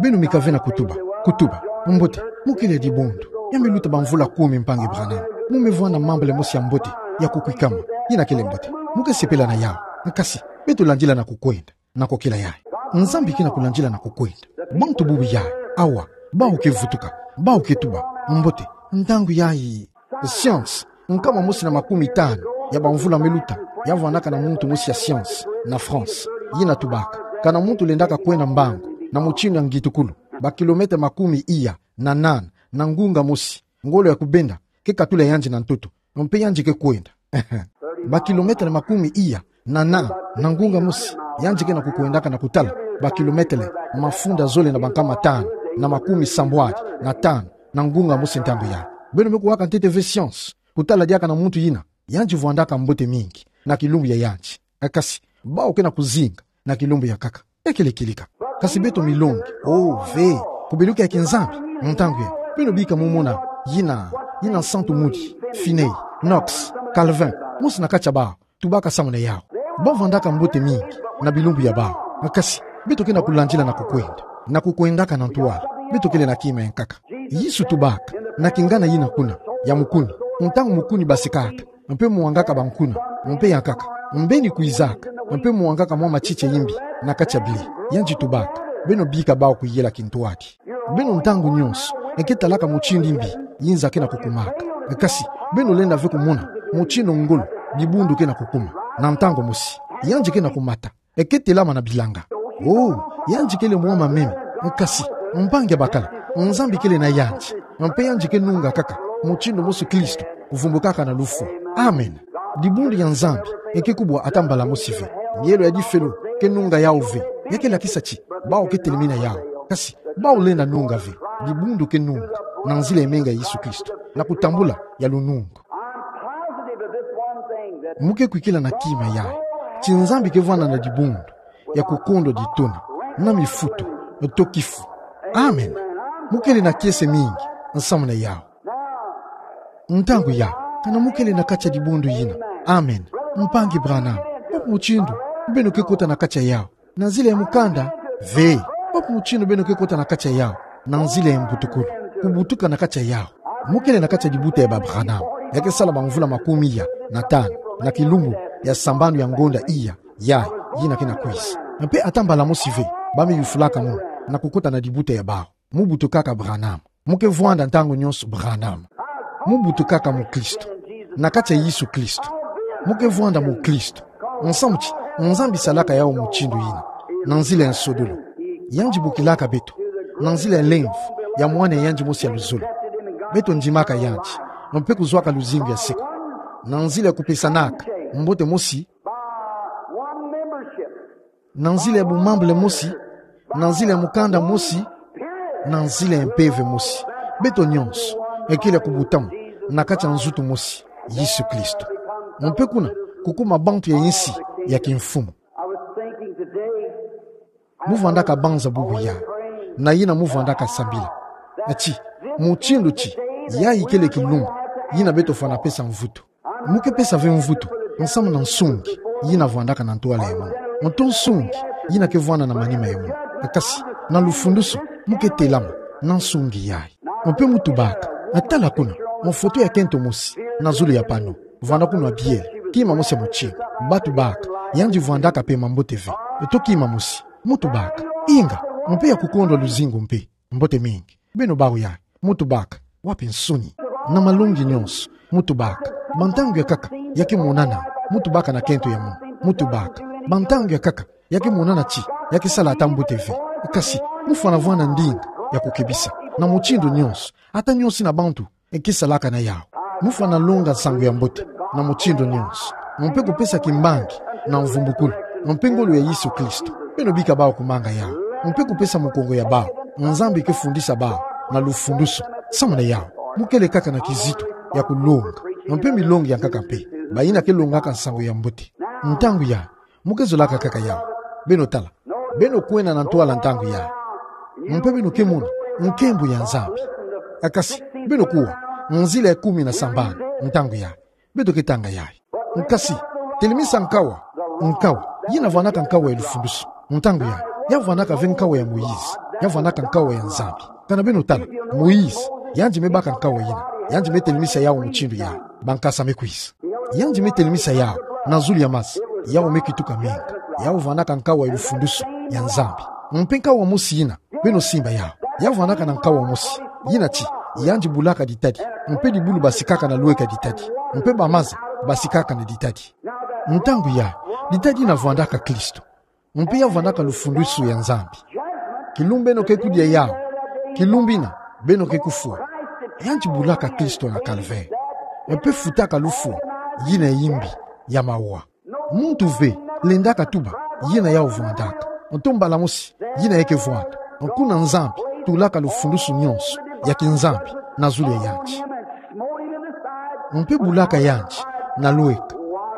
Beno mika ve na kutuba, kutuba: Mbote, mu kele dibundu. Ya me luta bamvula kumi, Mpangi Branham. Mu me vwanda mambu le mosi ya mbote, ya kukwikama. Yina kele mbote. Mu ke sepela na yawu. Kasi, beto landila na kukwenda. Na kukila yayi. Nzambi ke na kulandila na kukwenda. Bantu bubu yayi, awa, bawu ke vutuka, bawu ke tuba: Mbote, ntangu yayi, science, nkama mosi na makumi tanu ya bamvula me luta, ya vwandaka na muntu mosi ya science na France, yina tubaka: Kana muntu lendaka kwenda mbangu na mutindu ya ngitukulu, ba kilomètre makumi iya na nana na ngunga mosi, ngolo ya kubenda ke katula yandi na ntoto, mpe yandi ke kwenda. Ba kilomètre makumi iya na nana na ngunga mosi, yandi ke na kukwendaka na kutala ba kilomètre mafunda zole na bankama tanu na makumi sambwadi na tanu na ngunga mosi ntangu yayi. Beno me kuwaka ntete ve science, kutala diaka na muntu yina, yandi vwandaka mbote mingi na kilumbu ya yandi. Kasi, bawu ke na kuzinga na kilumbu ya nkaka. Ekele kileka. Kasi beto milongi, oh, ve, kubeluka ya kinzambi, ntangu yayi, beno bika mu mona yina, yina Santu Moody, Finney, Knox, Calvin, mosi na kati ya bawu, tubaka samu na yawu. Bawu vwandaka mbote mingi na bilumbu ya bawu. Kasi, beto ke na kulandila na kukwenda, na kukwendaka na ntwala. Beto kele na kima ya nkaka. Yesu tubaka na kingana yina kuna, ya mukuni, ntangu mukuni basekaka, mpe mwangaka bankuna, mpe ya nkaka, mbeni kwizaka, mpe mwangaka mwa matiti ya yimbi na kati ya bile. Yandi tubaka: Beno bika bawu kuyela kintwadi. Beno ntangu nyonso, e ke talaka mutindu yimbi yinza ke na kukumaka. Kasi, beno lenda ve kumona mutindu ngolo dibundu ke na kukuma. Na ntangu mosi, yandi ke na kumata. E ke telama na bilanga. Oh, yandi kele mwa mameme. Kasi, mpangi ya bakala, Nzambi kele na yandi. Mpe yandi ke nunga kaka mutindu mosi Kristo vumbukaka na lufwa. Amen. Dibundu ya Nzambi e ke kubwa ata mbala mosi ve. Mielo ya difelo ke nunga yawu ve. Ya ke lakisa ti bawu ke telemena yawu. Kasi, bawu lenda nunga ve. Dibundu ke nunga na nzila ya menga ya Yesu Kristo, na kutambula ya lunungu. I'm positive of this one thing, that Mu ke kwikila na kima yayi ti Nzambi ke vwanda na dibundu ya kukondwa ditona, na mifutu, to kifu. Amen. Mu kele na kiese mingi nsamu na yawu. Ntangu yayi, kana mu kele na kati ya dibundu yina? Amen. Mpangi Branham, wapi mutindu beno ke kota na kati ya yawu? Na nzila ya mukanda? Ve. Wapi mutindu beno ke kota na kati ya yawu? Na nzila ya mbutukulu. Kubutuka na kati ya yawu. Mu kele na kati ya dibuta ya ba Branham, ya ke sala bamvula makumi iya na tanu na kilumbu ya sambanu ya ngonda iya, yayi, yina ke na kwiza. Mpe ata mbala mosi ve ba me yufulaka munu na kukota na dibuta ya bawu. Mu butukaka Branham. Mu ke vwanda ntangu nyonso Branham. Mu butukaka mukristu na kati ya Yesu Kristo. Mu ke vwanda mukristu. Nsamu ti Nzambi salaka yawu mutindu yina, na nzila ya nsodolo. Yandi bokilaka beto na nzila ya lemvo ya Mwana ya yandi mosi ya luzolo. Beto ndimaka yandi, mpe kuzwaka luzingu ya seko. Na nzila ya kupesanaka mbote mosi, na nzila ya bumambule mosi, na nzila ya mukanda mosi, na nzila ya Mpeve mosi, beto nyonso, ekele ya kubutama na kati ya nzutu mosi, Yesu Kristo. Mpe kuna, kukuma bantu ya insi ya kimfumu. I was thinking today, Mu vwandaka banza bubu yayi, na yina mu vwandaka sambila, ati, mutindu ti, yayi kele kilumbu yina beto fwana pesa mvutu. Mu ke pesa ve mvutu nsamu na nsungi yina vwandaka na ntwala ya munu, nto nsungi yina ke vwanda na manima ya munu. Kasi, na lufundusu, mu ke telama, na nsungi yayi. Mpe mutubaka, tala kuna, mfoto ya kento mosi, na zulu ya pano, vwanda kuna biele, kima mosi ya motino, batubaka, yandi vwandaka pe mambote ve, to kima mosi, mutubaka, inga, mpe ya kukondwa luzingu mpe, mbote mingi, beno bawu yayi, mutubaka, wapi nsuni, na malongi nyonso, mutubaka, ba ntangu ya nkaka, ya ke monana, mutubaka na kento ya munu, mutubaka, ba ntangu ya nkaka, ya ke monana ti, ya ke sala ata mbote ve. Kasi, mufwana vwanda ndinga ya kukebisa, na motindo nyonso, ata nyonso ina bantu, e ke salaka na yawu. Mufwana longa nsangu ya mbote, na motindo nyonso. Mpe kupesa kimbangi, na mvumbukulu. Mpe ngolo ya Yesu Kristo. Beno bika bawu kumanga yawu. Mpe kupesa mukongo ya bawu. Nzambi ke fundisa bawu, na lufundusu. Samu na yawu. Mukele kaka na kizito, ya kulonga. Mpe milongi ya nkaka mpe. Bayina ke longaka nsangu ya mbote. Ntangu ya Mu ke zolaka kaka yawu. Beno tala. Beno kwenda na ntwala ntangu yayi. Mpe beno ke mona nkembo ya Nzambi. Kasi, beno kuwa, nzila ya kumi na sambanu, ntangu yayi. Beto ke tanga yayi. Kasi, telemisa nkawa. Nkawa. Yina vwandaka nkawa ya lufundusu. Ntangu yayi. Ya vwandaka ve nkawa ya Moïse. Ya vwandaka nkawa ya Nzambi. Kana beno tala, Moïse, yandi me baka nkawa yina, yandi me telemisa yawu mutindu yayi, ba nkasa me kwiza. Yandi me telemisa yawu, na zulu ya maza, yawu me kituka menga, yawu vwandaka nkawa ya lufundusu, ya Nzambi. Mpe nkawa mosi yina, beno simba yawu, ya vwandaka na nkawa mosi, yina ti, yandi bulaka ditadi, mpe dibulu basikaka na lweka ditadi, mpe ba maza, basikaka na ditadi. Ntangu yayi, ditadi yina vwandaka Kristo. Mpe ya vwandaka lufundusu ya Nzambi. Kilumbu beno ke kudia yawu. Kilumbu yina, beno ke kufwa. Yandi bulaka Kristo na Calvaire. Mpe futaka lufwa, yina ya yimbi, ya mawa. Muntu ve, lendaka tuba, yina yawu vwandaka. Nto mbala mosi, yina ya ke vwanda. Kuna Nzambi, tulaka lufundusu nyonso, ya ki Nzambi, na zulu ya yandi. Mpe bulaka yandi, na lweka.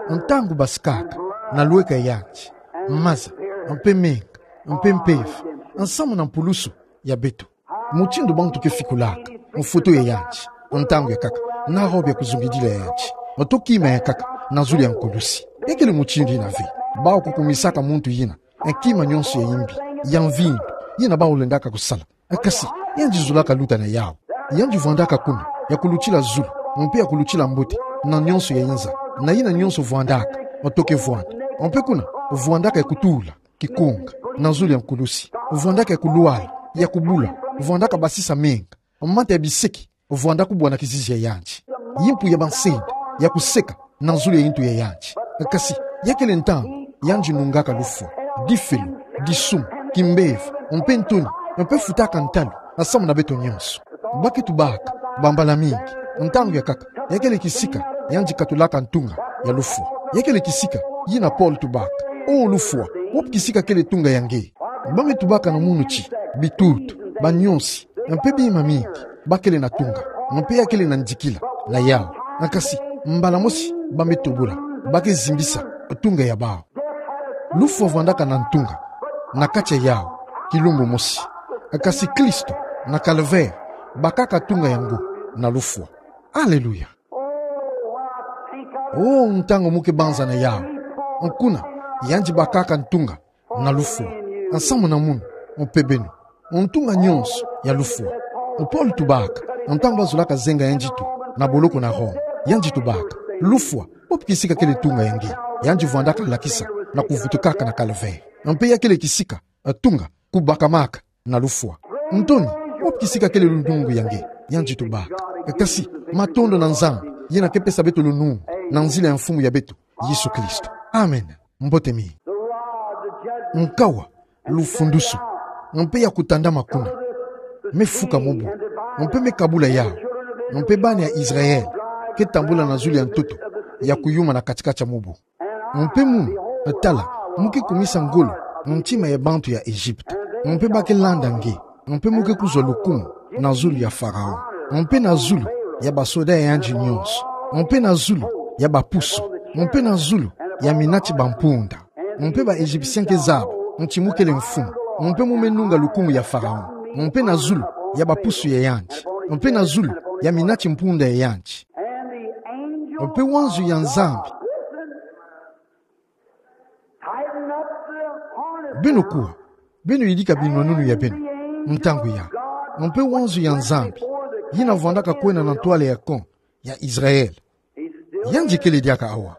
Ntangu basikaka, na lweka ya yandi. Maza, mpe menga, mpe mpeve, nsamu na mpulusu ya beto. Mutindu bantu ke fikulaka, mfoto ya yandi, ntangu ya nkaka, na robe ya kuzungidila ya yandi, nto kima ya nkaka, na zulu ya nkulusi. Ekele mutindu yina ve, bawu kukumisaka muntu yina, kima nyonso ya yimbi, ya mvindu, yina bawu lendaka kusala. Kasi, yandi zolaka luta na yawu. Yandi vwandaka kuna, ya kulutila zulu, mpe ya kulutila mbote, na nyonso ya inza, na yina nyonso vwandaka, nto ke vwanda. Mpe kuna, vwandaka ya kutula, kikonga, na zulu ya nkulusi, vwandaka ya kulwala, ya kubula, vwandaka basisa menga, mata ya biseki, vwanda kubwana kizizi ya yandi. Yimpu ya bansende, ya kuseka, na zulu ya yintu ya yandi. Kasi, ya kele ntangu, yandi nungaka lufwa, difelo, disumu, kimbevo, mpe ntoni, mpe futaka ntalu, nsamu na beto nyonso. Ba ke tubaka, ba mbala mingi, ntangu ya nkaka, ya kele kisika, yandi katulaka ntunga, ya lufwa. Ya kele kisika, yina Paul tubaka. O lufwa, wapi kisika kele ntunga ya nge? Ba me tubaka na munu ti, bitutu, banyosi, mpe bima mingi, ba kele na ntunga, mpe ya kele na ndikila, na yawu. Kasi, mbala mosi, ba me tobula, ba ke zimbisa, ntunga ya bawu. Lufwa vwandaka na ntunga, na kati ya yawu, kilumbu mosi. Kasi Kristo, na Calvaire, bakaka ntunga yango, na lufwa. Aleluya. O, ntangu mu ke banza na yawu. Kuna, yandi bakaka ntunga, na lufwa. Nsamu na munu, mpe beno. Ntunga nyonso, ya lufwa. Paul tubaka, ntangu ba zolaka zenga yandi tu, na boloko na Roma. Yandi tubaka, lufwa, wapi kisika kele ntunga ya nge? Yandi vwandaka lakisa, na kuvutukaka na Calvaire. Mpe ya kele kisika, ntunga, kubakamaka, na lufwa. Ntoni, wapi kisika kele lunungu ya nge? Yandi tubaka. Kasi, matondo na Nzambi, yina ke pesa beto lunungu, na nzila ya Mfumu ya beto, Yesu Kristo. Amen. Mbote mingi. Nkawa, lufundusu, mpe ya kutandama kuna. Me fuka mobu, mpe me kabula yawu, mpe bana ya Israël, ke tambula na zulu ya ntoto, ya kuyuma na kati-kati ya mobu. Mpe munu, tala, mu ke kumisa ngolo, ntima ya bantu ya Egypte. Mpe ba ke landa nge, mpe mu ke kuzwa lukumu, na zulu ya Pharaon. Mpe na zulu, ya basoda ya yandi nyonso. Mpe na zulu, ya bapusu. Mpe na zulu, ya mina ti bampunda. Mpe ba Egyptien ke zaba, ti mu kele mfumu. Mpe mu me nunga lukumu ya Pharaon. Mpe na zulu, ya bapusu ya yandi. Mpe na zulu, ya mina ti mpunda ya yandi. Mpe wanzu ya Nzambi. Beno kuwa, beno yidika binwanunu ya beno, ntangu yayi. Mpe wanzo ya Nzambi yina vwandaka kwenda na ntwala ya camp ya Israël. Yandi kele diaka awa.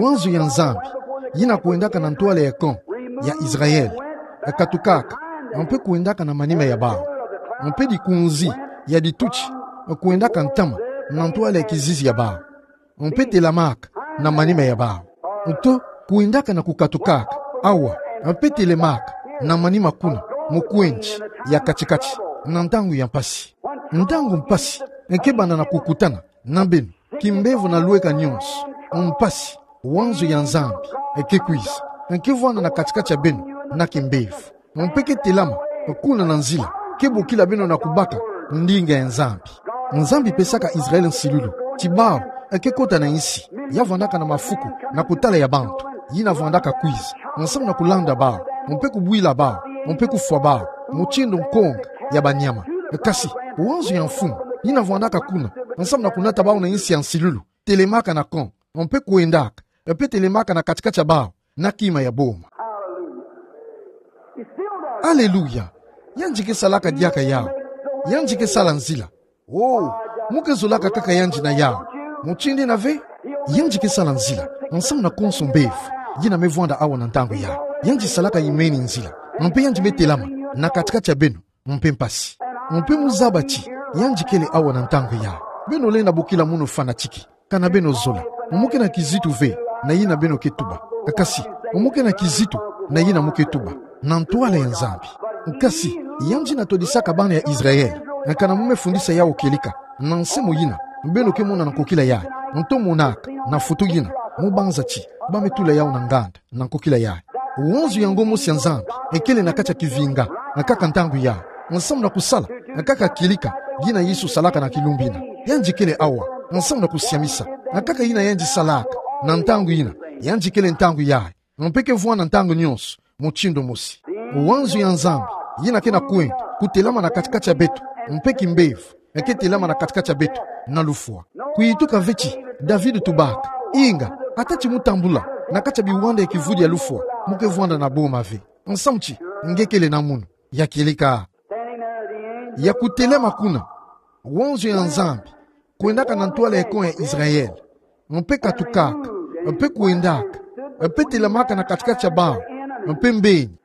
Wanzo ya Nzambi yina kwendaka na ntwala ya camp ya Israël, katukaka, mpe kwendaka na manima ya bawu. Mpe dikunzi ya dituti kwendaka ntama na ntwala ya kizizi ya bawu, mpe telamaka na manima ya bawu. Nto kwendaka na kukatukaka awa, mpe telemaka na manima kuna, mu kwendi ya kati-kati, na ntangu ya mpasi. Ntangu mpasi nke banda na kukutana na beno, kimbevo na lweka nyonso. Mpasi, wanzo ya Nzambi nke kwiza, nke vwanda na kati-kati ya beno na kimbevo. Mpe ke telama kuna na nzila, ke bokila beno na kubaka ndinga ya Nzambi. Nzambi pesaka Israël nsilulu ti bawu ke kota na insi ya vwandaka na mafuku na kutala ya bantu yina vwandaka kwiza, nsamu na kulanda bawu, mpe kubwila bawu, mpe kufwa bawu, mutindu nkonga ya banyama. Kasi wanzo ya mfumu yina vwandaka kuna, nsamu na kunata bawu na insi ya nsilulu, telemaka na camp, mpe kwendaka, mpe telemaka na kati-kati ya bawu, na kima ya boma. Aleluya! Yandi ke salaka diaka yawu. Yandi ke sala nzila. Oh, mu ke zolaka kaka yandi na yawu. Mutindu ina ve, yandi ke sala nzila nsamu na konso mbevo yina me vwanda awa na ntangu yawu. Yandi salaka imeni nzila. Mpe yandi me telama na kati-kati ya beno, mpe mpasi. Mpe mu zaba ti yandi kele awa na ntangu yawu. Beno lenda bokila munu fanatique. Kana beno zola, mu ke na kizito ve na yina beno ke tuba. Kasi mu ke na kizito na yina mu ke tuba na ntwala ya Nzambi. Kasi yandi na todisaka bana ya Israël, kana mu me fundisa yawu kieleka na nseyi yina beno ke mona na nkokila yayi, nto monaka na foto yina, mu banza ti ba me tula yawu na nganda na nkokila yayi. Wanzo yango mosi ya Nzambi ekele na kati ya kivinga, na kaka ntangu yayi, nsamu na kusala na kaka kieleka yina Yesu salaka na kilumbu ina. Yandi kele awa nsamu na kusiamisa na kaka yina yandi salaka na ntangu yina. Yandi kele ntangu yayi, mpe ke vwanda ntangu nyonso mutindu mosi. Wanzo ya Nzambi yina ke na kwenda kutelama na kati-kati ya beto, mpe kimbevo ke telama na kati-kati ya beto na lufwa. Kuyituka ve ti David tubaka: Inga, ata ti mu tambula na kati ya biwanda ya kivudi ya lufwa, mu ke vwanda na boma ve, nsamu ti nge kele na munu. Ya kieleka, ya kutelama kuna, wanzo ya Nzambi kwendaka na ntwala ya camp ya Israël, mpe katukaka, mpe kwendaka, mpe telamaka na kati-kati ya bawu, mpe mbeni.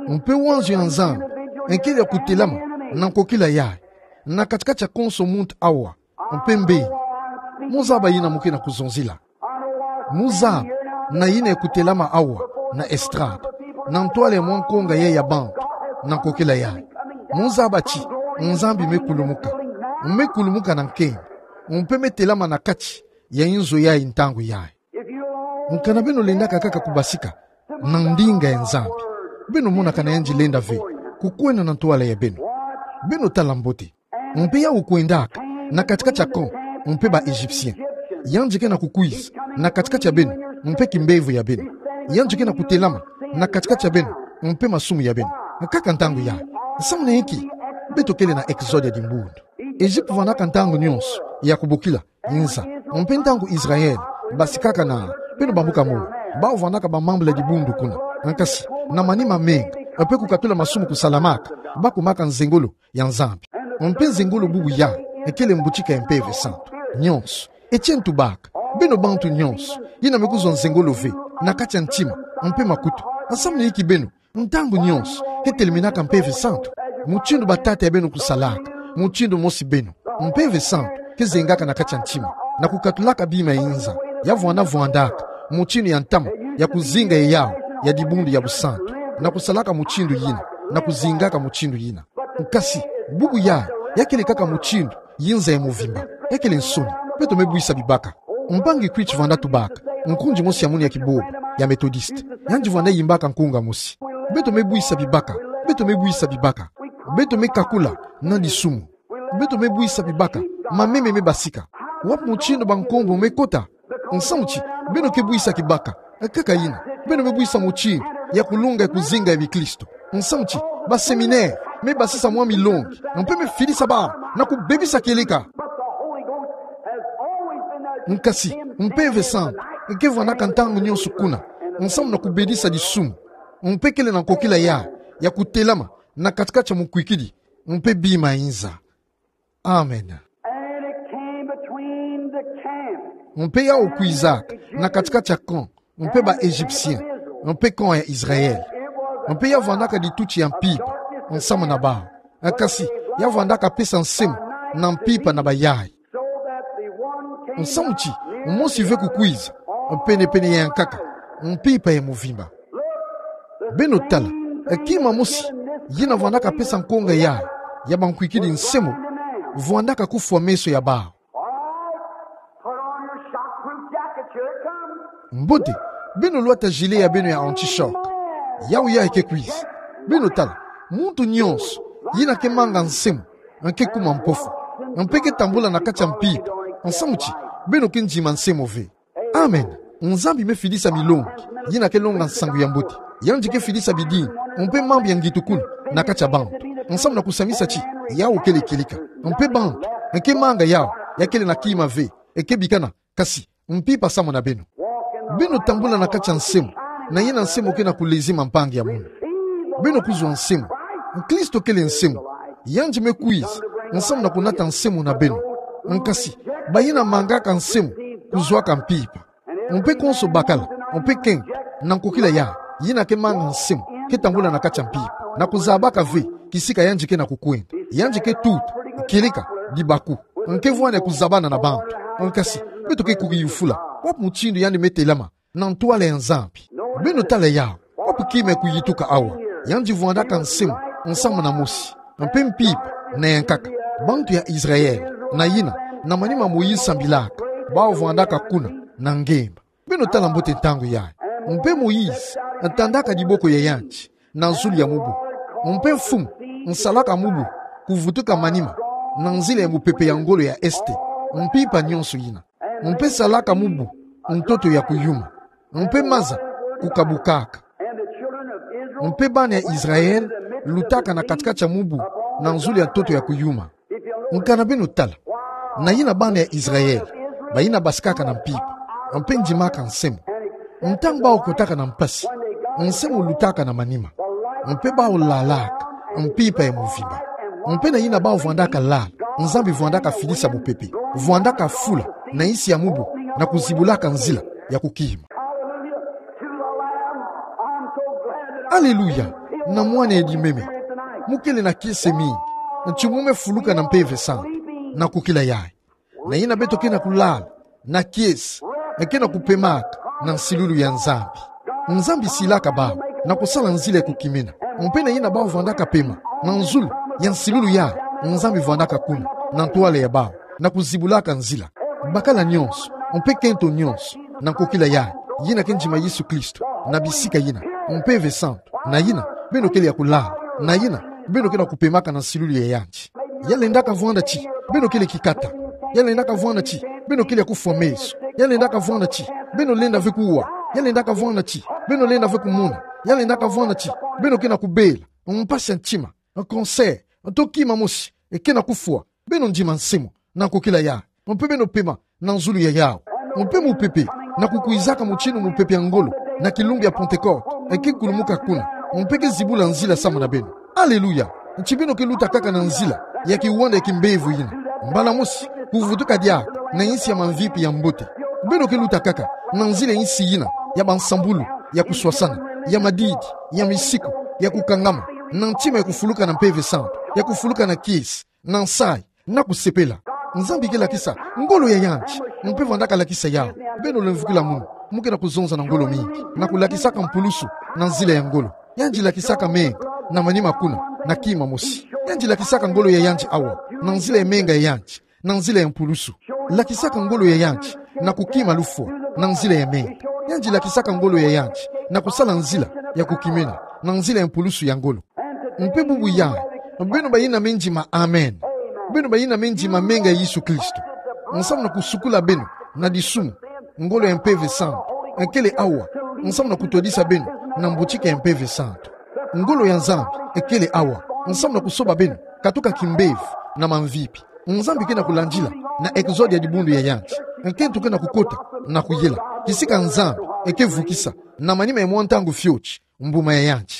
Mpe wanzo ya Nzambi kele ya kutelama na nkokila yayi, na kati-kati ya konso muntu awa, mpe mbeni. Mu zaba yina mu ke na kuzonzila. Mu zaba na yina ya kutelama awa na estrade, na ntwala ya mwa nkonga yayi ya bantu, na nkokila yayi. Mu zaba ti Nzambi me kulumuka. Me kulumuka na nkenge, mpe me telama na kati ya inzo yayi ntangu yayi. Kana beno lendaka kaka kubasika na ndinga ya Nzambi, beno mona kana yandi lenda ve kukwenda na ntwala ya beno. Beno tala mbote. Mpe yawu kwendaka na kati-kati ya camp, mpe ba Egyptiens. Yandi ke na kukwiza na kati-kati ya beno, mpe kimbevo ya beno. Yandi ke na kutelama na kati-kati ya beno, mpe masumu ya beno. Kaka ntangu yayi. Nsamu na inki beto kele na Exode ya dibundu? Egypte vwandaka ntangu nyonso ya kubokila inza. Mpe ntangu Israël basikaka na, beno bambuka mo, bawu vwandaka ba membre ya dibundu kuna. Kasi na manima menga, mpe kukatula masumu kusalamaka, ba kumaka nzengolo ya Nzambi. Mpe nzengolo bubu yayi kele mbutika ya Mpeve Santu. Nyonso, etienne tubaka, beno bantu nyonso yina me kuzwa nzengolo ve na kati ya ntima mpe makutu, nsamu na inki beno ntangu nyonso ke teleminaka Mpeve Santu? Mutindu batata ya beno kusalaka, mutindu mosi beno. Mpeve Santu ke zengaka na kati ya ntima, na kukatulaka bima ya inza, ya vwanda vwandaka mutindu ya ntama ya kuzinga ya yawu ya dibundu ya busantu, na kusalaka mutindu yina, na kuzingaka mutindu yina. Kasi bubu yayi, ya kele kaka mutindu yinza ya muvimba, ya kele nsoni. Beto me bwisa bibaka. Mpangi Creech vwanda tubaka, nkundi mosi ya munu ya kibobo ya Methodiste. Yandi vwanda yimbaka nkunga mosi: Beto me bwisa bibaka, beto me bwisa bibaka. Beto me kakula na disumu. Beto me bwisa bibaka, mameme me basika. Wapi mutindu bankombo me kota? Nsamu ti beno ke bwisa kibaka. Kaka yina, beno me bwisa mutindu ya kulunga ya kuzinga ya bikristo. Nsamu ti ba séminaire me basisa mwa milongi, mpe me filisa bawu na kubebisa kieleka. Kasi Mpeve Santu ke vwandaka ntangu nyonso kuna, nsamu na kubedisa disumu. Mpe kele na nkokila yayi ya kutelama na kati-kati ya mukwikidi mpe bima inza. Amen. And it came between the camp. Mpe yau kwizaka na kati-kati ya camp mpe ba Égyptiens mpe camp ya Israël. Mpe ya vwandaka dituti ya mpimpa nsamu na bau. Kasi ya vwandaka pesa nsemo na mpimpa na bayaya. Nsamu ti mosi ve kukwiza pene-pene ya nkaka, mpimpa ya muvimba. Beno tala, kima mosi yina vwandaka pesa nkonga ya, ya bankwikidi nsemo, vwandaka kufwa meso ya bau. Mbote, beno lwata gilet ya beno ya anti-choc. Yau yayi ke kwiza. Beno tala, muntu nyonso yina ke manga nsemo, nge ke kuma mpofu, mpe ke tambula na kati ya mpimpa, nsamu ti beno ke ndima nsemo ve. Amen. Nzambi me fidisa milongi yina ke longa nsangu ya mbote. Yandi ke fidisa bidimbu mpe mambu ya ngitukulu na kati ya bantu, nsamu na kusamisa ti yau kele kieleka. Mpe bantu nge ke manga yau, ya kele na kima ve, nge ke bikana, kasi mpimpa samu na beno. Beno tambula na kati ya nsemo, na yina nsemo ke na kulezi mampangi ya munu. Beno kuzwa nsemo. Kristo kele nsemo. Yandi me kwiza nsamu na kunata nsemo na beno. Kasi bayina mangaka nsemo kuzwaka mpimpa. Mpe konso bakala, mpe kento, na nkokila ya, yina ke manga nsemo, ke tambula na kati ya mpimpa, na kuzabaka ve kisika yandi ke na kukwenda. Yandi ke tuta kieleka dibaku, nge ke vwani ya kuzabana na bantu. Kasi beto ke kukiyufula, wapi mutindu yandi me telama na ntwala ya Nzambi? Beno tala yau, wapi kima ya kuyituka awa? Yandi vwandaka nsemo nsamu na mosi, mpe mpimpa na ya nkaka, bantu ya Israël, na yina, na manima Moïse sambilaka, bau vwandaka kuna na ngemba. Beno tala mbote ntangu yayi. Mpe Moïse ntandaka diboko ya yandi na zulu ya mubu. Mpe mfumu nsalaka mubu kuvutuka manima na nzila ya mupepe ya ngolo ya este, mpimpa nyonso yina. Mpe salaka mubu ntoto ya kuyuma, mpe maza kukabukaka. Mpe bana ya Israël lutaka na kati-kati ya mubu na zulu ya ntoto ya kuyuma. Nkana beno tala, na yina bana ya Israël, bayina basikaka na mpimpa, mpe ndimaka nsemo, ntangu bau kotaka na mpasi, nsemo lutaka na manima, mpe bau lalaka mpimpa ya muvimba. Mpe na yina bau vwandaka lala, Nzambi vwandaka fidisa mupepe, vwandaka fula na nsi ya mubu, na kuzibulaka nzila ya kukima. Hallelujah to the Lamb. I'm so glad that I Hallelujah, na mwana ya limemia. Mu kele na kiese mingi, nti mu me fuluka na mpeve santu na nkokila yayi. Na yina beto ke na kulala na kiese, nge ke na kupemaka na nsilulu ya Nzambi. Nzambi silaka bau na kusala nzila ya kukimina. Mpe na yina bau vwandaka pema na nzulu ya nsilulu yayi, Nzambi vwandaka kuna na ntwala ya bau, na kuzibulaka nzila. Bakala nyonso, mpe kento nyonso, na nkokila yayi, yina ke ndima Yesu Kristo, na bisika yina, mpeve santu, na yina beno kele ya kulala, na yina beno ke na kupemaka na nsilulu ya yandi. Ya lendaka vwanda ti beno kele kikata. Ya lendaka vwanda ti beno kele ya kufwa meso. Ya lendaka vwanda ti beno lenda ve kuwa. Ya lendaka vwanda ti beno lenda ve kumona. Ya lendaka vwanda ti beno ke na kubela, mpasi ya ntima, cancer, to kima mosi ke na kufwa. Beno ndima nsemo na nkokila yayi, mpe beno pema na nzulu ya yau. Mpe mupepe na kukwizaka mutindu mupepe ya ngolo na kilumbu ya Pentecôte, nge ke kulumuka kuna, mpe ke zibula nzila samu na beno. Hallelujah. Nti beno ke luta kaka na nzila ya kiwanda ya kimbevo yina, mbala mosi kuvutuka diaka na nsi ya mamvipi ya mbote. Beno ke luta kaka na nzila ya nsi yina ya bansambulu, ya kuswasana, ya madidi, ya misiku, ya kukangama, na ntima ya kufuluka na mpeve santu, ya kufuluka na kiese, na nsayi, na kusepela. Nzambi ke lakisa ngolo ya yandi, mpe vwandaka lakisa yau. Beno lemvukila munu, mu ke na kuzonza na ngolo mingi, na kulakisaka mpulusu na nzila ya ngolo. Yandi lakisaka menga na manima kuna, na kima mosi. Yandi lakisaka ngolo ya yandi awa na nzila ya menga ya yandi, na nzila ya mpulusu. Lakisaka ngolo ya yandi na kukima lufwa na nzila ya menga. Yandi lakisaka ngolo ya yandi na kusala nzila ya kukimina na nzila ya mpulusu ya ngolo. Mpe bubu yayi, beno bayina me ndima amen, beno bayina me ndima menga ya Yesu Kristo, nsamu na kusukula beno na disumu, ngolo ya mpeve santu ekele awa nsamu na kutwadisa beno na mbotika ya mpeve santu. Ngolo ya Nzambi ekele awa nsamu na kusoba beno katuka kimbevo na mamvipi. Nzambi ke na kulandila na Exode ya dibundu ya yandi. Nkento ke na kukota na kuyela kisika Nzambi eke vukisa na manima ya mwa ntangu fioti mbuma ya yandi.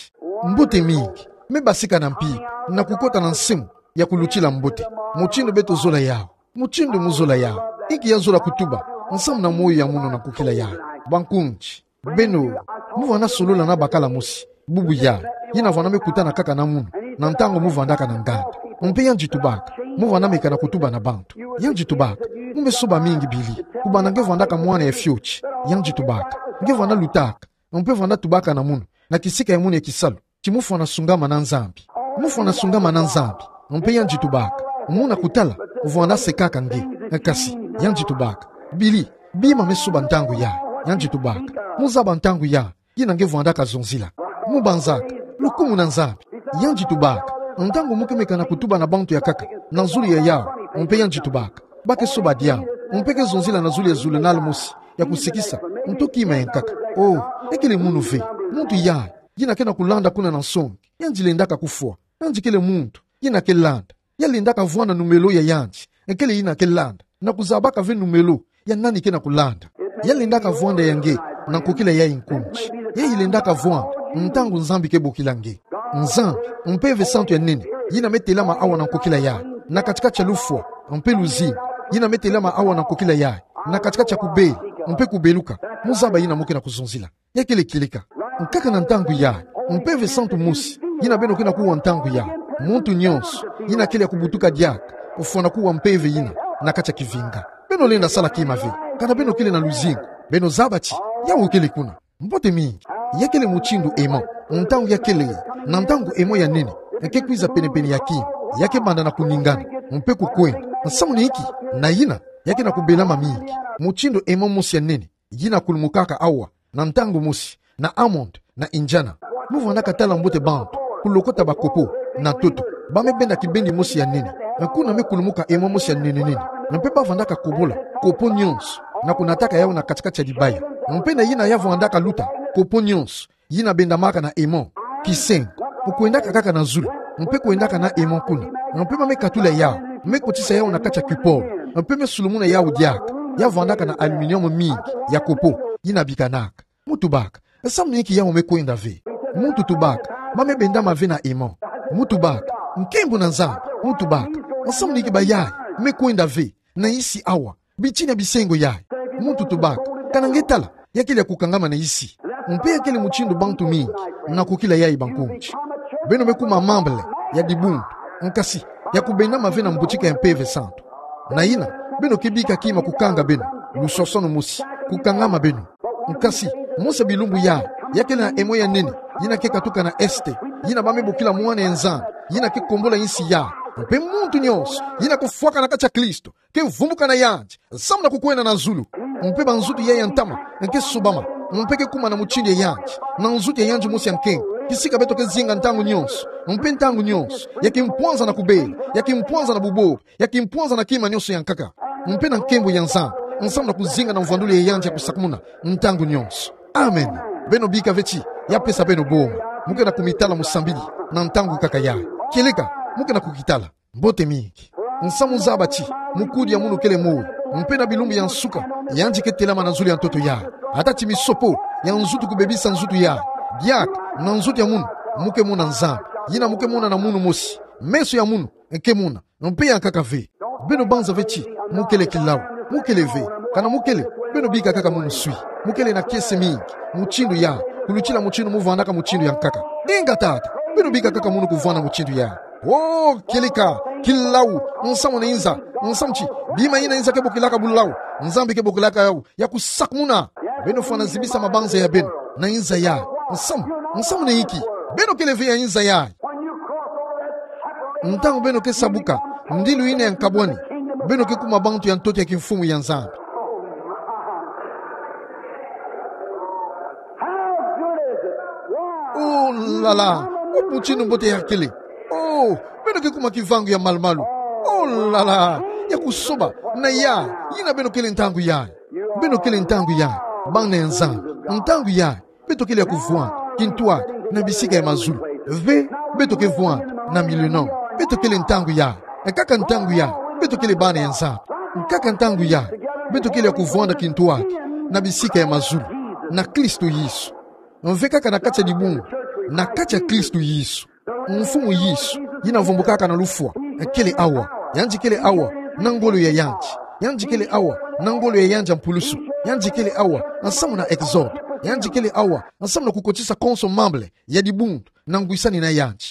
Mbote mingi. me basika na mpimpa, na kukota na nsimu ya kulutila mbote. Mutindu beto zola yaha. Mutindu mu zola yaha. Inki ya zola kutuba nsamu na moyo ya munu na nkokila yaha? Bankundi, beno, mu vanda solola na bakala mosi bubu yayi, yina vanda me kutana kaka na munu na ntangu mu vandaka na nganda. Mpe yandi tubaka, mu vanda meka na kutuba na bantu. Yandi tubaka, mu me soba mingi bili. Kubanda nge vandaka mwana ya fioti, yandi tubaka, nge vanda lutaka, mpe vanda tubaka na munu na kisika ya munu ya kisalu, ti mu fwana sungama na Nzambi. Mu fwana sungama na Nzambi. Mpe yandi tubaka, muna kutala, vwanda sekaka nge. Kasi, yandi tubaka, bili, bima me soba ntangu yayi. Yandi tubaka, mu zaba ntangu yayi, yina nge vwandaka zonzila. Mu banzaka lukumu na Nzambi. Yandi tubaka, ntangu mu ke meka na kutuba na bantu ya nkaka na zulu ya yawu, mpe yandi tubaka, ba ke soba diambu, mpe ke zonzila na zulu ya zulu na lumosi ya kusikisa nto kima ya nkaka. Oh, ya kele munu ve. Muntu yayi, yina ke na kulanda kuna na nsongi, yandi lendaka kufwa. Yandi kele muntu, yina ke landa. Ya lendaka vwanda numelo ya yandi, ekele yina ke landa, na kuzabaka ve numelo ya nani ke na kulanda. Ya lendaka vwanda ya nge na nkokila yayi nkundi. Ya ilendaka vwanda ntangu Nzambi ke bokila nge. Nzambi, Mpeve Santu ya nene, yina me telama awa na nkokila yayi, na kati-kati ya lufwa mpe luzingu, yina me telama awa na nkokila yayi, na kati-kati ya kubela mpe kubeluka. Mu zaba yina mu ke na kuzonzila. Ya kele kieleka. Nkaka na ntangu yayi, Mpeve Santu mosi, yina beno ke na kuwa ntangu yayi. Muntu nyonso yina kele ya kubutuka diaka, kufwana kuwa mpeve yina na kati ya kivinga. Beno lenda sala kima ve, kana beno kele na luzingu, beno zaba ti yawu kele kuna. Mbote mingi. Ya kele mutindu emo, ntangu ya kele, na ntangu emo ya nene, ya ke kwiza pene-pene ya kima, ya ke banda na kuningana mpe kukwenda. Nsamu ni inki? Na yina ya ke na kubelama mingi. Mutindu emo mosi ya nene, yina kulumukaka awa na ntangu mosi na Hammond na Indiana. Mu vwandaka tala mbote bantu kulokota bakopo na ntoto. Ba me benda kibendi mosi ya nene, kuna me kulumuka emo mosi ya nene-nene. Mpe ba vwandaka kobola kopo nyonso na kunataka yawu na kati-kati ya dibaya. Mpe na yina ya vwandaka luta kopo nyonso yina bendamaka na emo, kisengo, kwendaka kaka na zulu, mpe kwendaka na emo kuna. Mpe ba me katula yawu, me kotisa yawu na kati ya kupolo, mpe me sulumuna yawu diaka. Ya vwandaka na aluminium mingi ya kopo, yina bikanaka. Mu tubaka, nsamu ni inki yawu me kwenda ve? Muntu tubaka, ba me bendama ve na emo. Mu tubaka, nkembo na Nzambi. Mu tubaka, nsamu ni inki bayayi me kwenda ve na isi awa, bitini ya bisengo yayi? Muntu tubaka, kana nge tala, ya kele ya kukangama na isi. Mpe ya kele mutindu bantu mingi na nkokila yayi, bankundi. Beno me kuma membre ya dibundu, nkasi, ya kubendama ve na mbutika ya Mpeve Santu. Na yina, beno ke bika kima kukanga beno, lusosono mosi, kukangama beno. Nkasi, mosi ya bilumbu yayi, ya kele na emo ya nene, yina ke katuka na Est, yina ba me bokila mwana ya Nzambi, yina ke kombola insi yayi. Mpe muntu nyonso yina kufwaka na kati ya Kristo ke vumbuka na yandi, samu na kukwenda na zulu. Mpe banzutu yayi ya ntama ke sobama, mpe ke kuma na mutindu ya yandi, na nzutu ya yandi mosi ya nkenke, kisika beto ke zinga ntangu nyonso. Mpe ntangu nyonso, ya kimpwanza na kubela, ya kimpwanza na bubobo, ya kimpwanza na kima nyonso ya nkaka, mpe na nkembo ya Nzambi, samu na kuzinga na mvwandulu ya yandi ya kusakumuna ntangu nyonso. Amen. Beno bika ve ti ya pesa beno boma. Mu ke na kumitala mu sambidi na ntangu kaka yayi. Kieleka, mu ke na kukitala. Mbote mingi. Nsamu zaba ti mukudi ya munu kele moyo, mpe na bilumbu ya nsuka, yandi ke telama na zulu ya ntoto yayi. Ata ti misopo ya nzutu kubebisa nzutu yayi, diaka na nzutu ya munu, mu ke mona Nzambi, yina mu ke mona na munu mosi. Meso ya munu ke mona, mpe ya nkaka ve. Beno banza ve ti mu kele kilau, mu kele ve. Kana mu kele, beno bika kaka munu swi. Mu kele na kiese mingi, mutindu yayi, kulutila mutindu mu vandaka mutindu ya nkaka. Inga tata, beno bika kaka munu kuvanda mutindu yayi. Oh, kieleka, kilau, nsamu na inza, nsamu ti bima yina inza ke bokilaka bulau, Nzambi ke bokilaka yawu ya kusakumuna. Beno fwana zibisa mabanza ya beno na inza yayi. Nsamu, nsamu na inki? Beno kele ve ya inza yayi. Ntangu beno ke sabuka ndilu yina ya nkabwani, beno ke kuma bantu ya ntoto ya kimfumu ya Nzambi. Oh la la, mutindu mbote ya kele. Oh, beno ke kuma kivangu ya malu-malu. Oh la la, ya kusoba na yayi yina beno kele ntangu yayi. Beno kele ntangu yayi, bana ya Nzambi. Ntangu yayi, beto kele ya kuvwanda kintwadi na bisika ya mazulu. Ve, beto ke vwanda na millennium. Beto kele ntangu yayi, kaka ntangu yayi, beto kele bana ya Nzambi. Kaka ntangu yayi, beto kele ya kuvwanda kintwadi na bisika ya mazulu na Kristo Yesu. Ve, kaka na kati ya dibundu, na kati ya Kristo Yesu. Mfumu Yesu, yina vumbukaka na lufwa, kele awa. Yandi kele awa na ngolo ya yandi. Yandi kele awa na ngolo ya yandi ya mpulusu. Yandi kele awa nsamu na Exode. Yandi kele awa nsamu na kukotisa konso membre ya dibundu na ngwisani na yandi.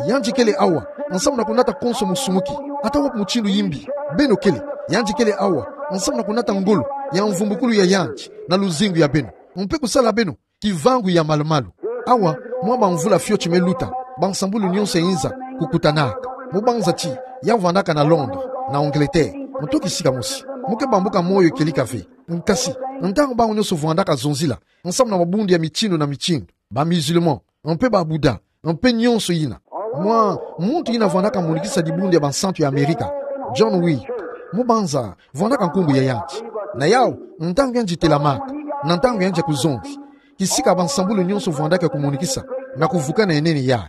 Yandi kele awa nsamu na kunata konso musumuki, ata wa mutindu yimbi beno kele. Yandi kele awa nsamu na kunata ngolo ya mvumbukulu ya yandi na luzingu ya beno, mpe kusala beno kivangu ya malu-malu. Awa, mwa bamvula fioti me luta, bansambulu nyonso ya inza kukutanaka. Mu banza ti ya vandaka na Londres, na Angleterre, nto kisika mosi, mu ke bambuka moyo kieleka ve. Nkasi, ntangu bawu nyonso vandaka zonzila nsamu na mabundu ya mitindu na mitindu, ba musulman, mpe ba Bouddha, mpe nyonso yina, mwa muntu yina vandaka monikisa dibundu ya bansantu ya Amerika, John Wheeler, mu banza vandaka nkumbu ya yandi. Na yawu, ntangu yandi telamaka, na ntangu yandi ya kuzonzi, kisika bansambulu nyonso vandaka ya kumonikisa na kuvukana ya nene yayi.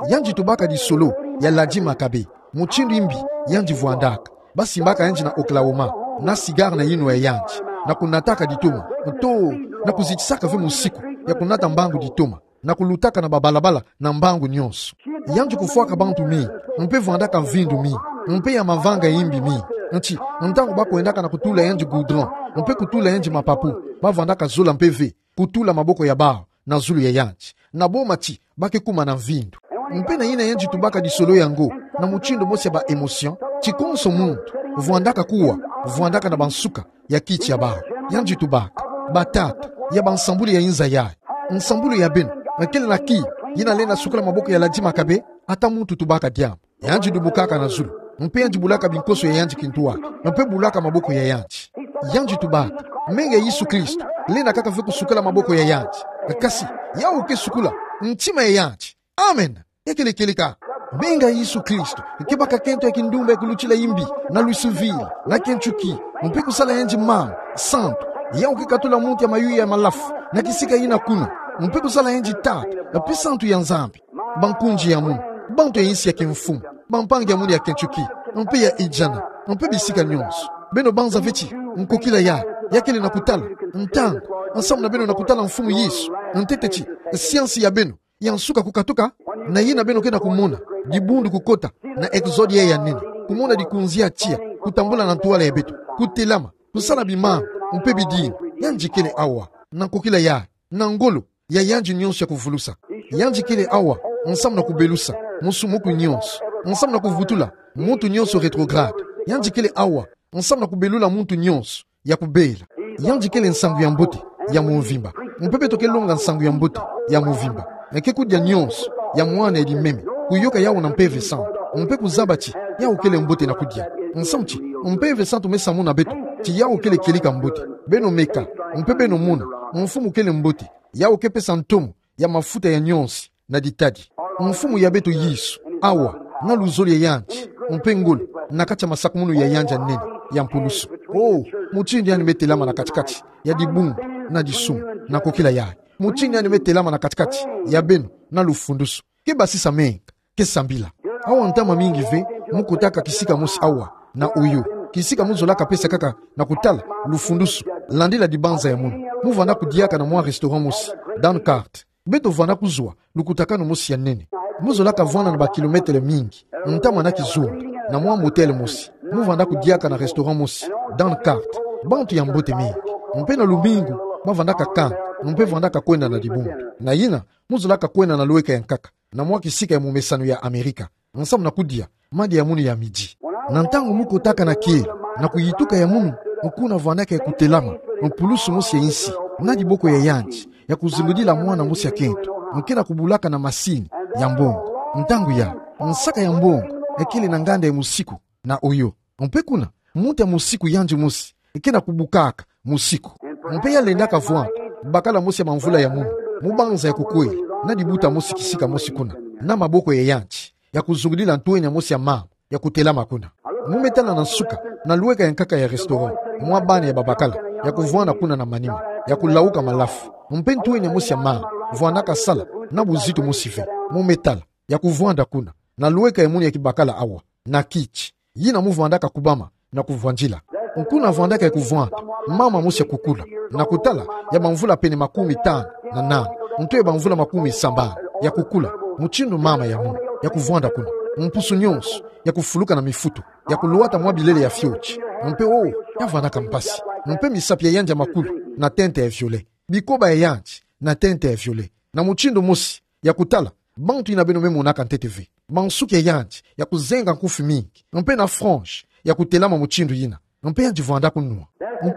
Yandi tubaka disolo ya Ladi Makabe, mutindu yimbi yandi vandaka. Basimbaka yandi na Oklahoma, na cigare na yinwa ya yandi, na kunataka ditoma, nto na kuzitisaka ve musiku ya kunata mbangu ditoma, na kulutaka na babalabala na mbangu nyonso. Yandi kufwaka bantu mingi, mpe vandaka mvindu mingi, mpe ya mavanga yimbi mingi. Nti, ntangu bakwendaka na kutula yandi goudron, mpe kutula yandi mapapu, bavandaka zola mpe ve kutula maboko ya bawu na zulu ya yandi, na boma ti ba ke kuma na mvindu. Mpe na yina yandi tubaka disolo yango na mutindu mosi ya ba émotion, ti konso muntu vandaka kuwa, vandaka na bansuka ya kiti ya bawu. Yandi tubaka: Batata, ya bansambulu ya inza yayi, nsambulu ya beno kele na kiyi yina lenda sukula maboko ya Ladi Makabe? Ata muntu tubaka diambu. Yandi dubukaka na zulu, mpe yandi bulaka binkoso ya yandi kintwari, mpe bulaka maboko ya yandi. Yandi tubaka: Menga Yesu Kristo lenda kaka ve kusukula maboko ya yandi. Kasi yawu ke sukula ntima ya yandi. Amen. Ya kele kieleka. Menga Yesu Kristo ke baka kento ya kindumba ya kulutila yimbi na Louisville, na Kentucky, mpe kusala yandi mama santu. Yawu ke katula muntu ya mayuya ya malafu na kisika yina kuna, mpe kusala yandi tata mpe santu ya Nzambi. Bankunzi ya munu, bantu ya insi ya kimfumu, bampangi ya munu ya Kentucky, mpe ya Indiana, mpe bisika nyonso. Beno banza ve ti nkokila yayi ya kele na kutala, ntangu, nsamu na beno na kutala Mfumu Yesu, ntete ti siansi ya beno ya nsuka kukatuka? Na yina beno ke na kumona dibundu kukota na Exode yayi ya nene, kumona dikunzi ya tiya kutambula na ntwala ya beto, kutelama, kusala bimama mpe bidimbu. Yandi kele awa na nkokila yayi, na ngolo ya yandi nyonso ya kuvulusa. Yandi kele awa nsamu na kubelusa musumuku nyonso, nsamu na kuvutula muntu nyonso rétrograde. Yandi kele awa nsamu na kubelula muntu nyonso ya kubela. Yandi kele nsangu ya mbote ya mvimba. Mpe beto ke longa nsangu ya mbote ya mvimba. Ke kudia nyonso ya mwana ya limeme, kuyoka yawu na Mpeve Santu, mpe kuzaba ti yawu kele mbote na kudia. Nsamu ti Mpeve Santu me samuna beto ti yawu kele kieleka mbote. Beno meka, mpe beno mona, Mfumu kele mbote, yawu ke pesa ntomo ya mafuta ya nyonso na ditadi. Mfumu ya beto Yesu, awa, na luzolo ya yandi, mpe ngolo, na kati ya masakumunu ya yandi ya nene ya mpulusu. Oh, mutindu yandi me telama na kati-kati ya dibundu na disumu, na nkokila yayi. Mutindu yandi me telama na kati-kati ya beno na lufundusu. Ke basisa menga, ke sambila. Awa ntama mingi ve mu kotaka kisika mosi awa na Oyo, kisika mu zolaka pesa kaka na kutala lufundusu, landila dibanza ya munu. Mu vanda kudiaka na mwa restaurant mosi, Dancourt. Beto vanda kuzwa lukutakanu mosi ya nene. Mu zolaka vwanda na ba kilometele mingi, ntama na kizunga, na mwa motel mosi. Mu vanda kudiaka na restaurant mosi, Dancourt. Bantu ya mbote mingi. Mpe na lumingu, ba vandaka kanga, mpe vandaka kwenda na dibundu. Na yina, mu zolaka kwenda na lweka ya nkaka, na mwa kisika ya momesano ya Amerika, nsamu na kudia madia ya munu ya midi. Na ntangu mu kotaka na kielo, na kuyituka ya munu, kuna vandaka ya kutelama mpulusu mosi ya insi, na diboko ya yandi, ya kuzingudila mwana mosi ya kento, nke na kubulaka na masini ya mbongo. Ntangu ya nsaka ya mbongo, ya kele na nganda ya musiku na Oyo. Mpe kuna, muntu ya musiku yandi mosi, nke na kubukaka musiku. Mpe ya lendaka vwanda, bakala mosi ya mamvula ya munu, mu banza ya kukwela, na dibuta mosi kisika mosi kuna, na maboko ya yandi, ya kuzungudila ntwenya mosi ya mama, ya kutelama kuna. Mu me tala na nsuka, na lweka ya nkaka ya restaurant, mwa bana ya babakala, ya kuvwanda kuna na manima, ya kulauka malafu. Mpe ntwenya mosi ya mama, vwandaka sala, na buzitu mosi ve. Mu me tala, ya kuvwanda kuna, na lweka ya munu ya kibakala awa, na kiti yina mu vandaka kubama na kuvwandila. Kuna vandaka ya kuvwanda mama mosi ya kukula, na kutala ya bamvula pene makumi tanu na nana, nto ya bamvula makumi sambanu, ya kukula, mutindu mama ya munu. ya kuvwanda kuna. Mpusu nyonso ya kufuluka na mifutu, ya kulwata mwa bilele ya fioti. Mpe, oh, ya vwandaka mpasi. Mpe misapi ya yandi ya makulu na tente ya violet, bikoba ya yandi na tente ya violet, na mutindu mosi ya kutala bantu yina beno me monaka ntete ve, bansuki ya yandi ya kuzenga nkufi mingi, mpe na frange ya kutelama mutindu yina. Mpe yandi vwandaka nwa.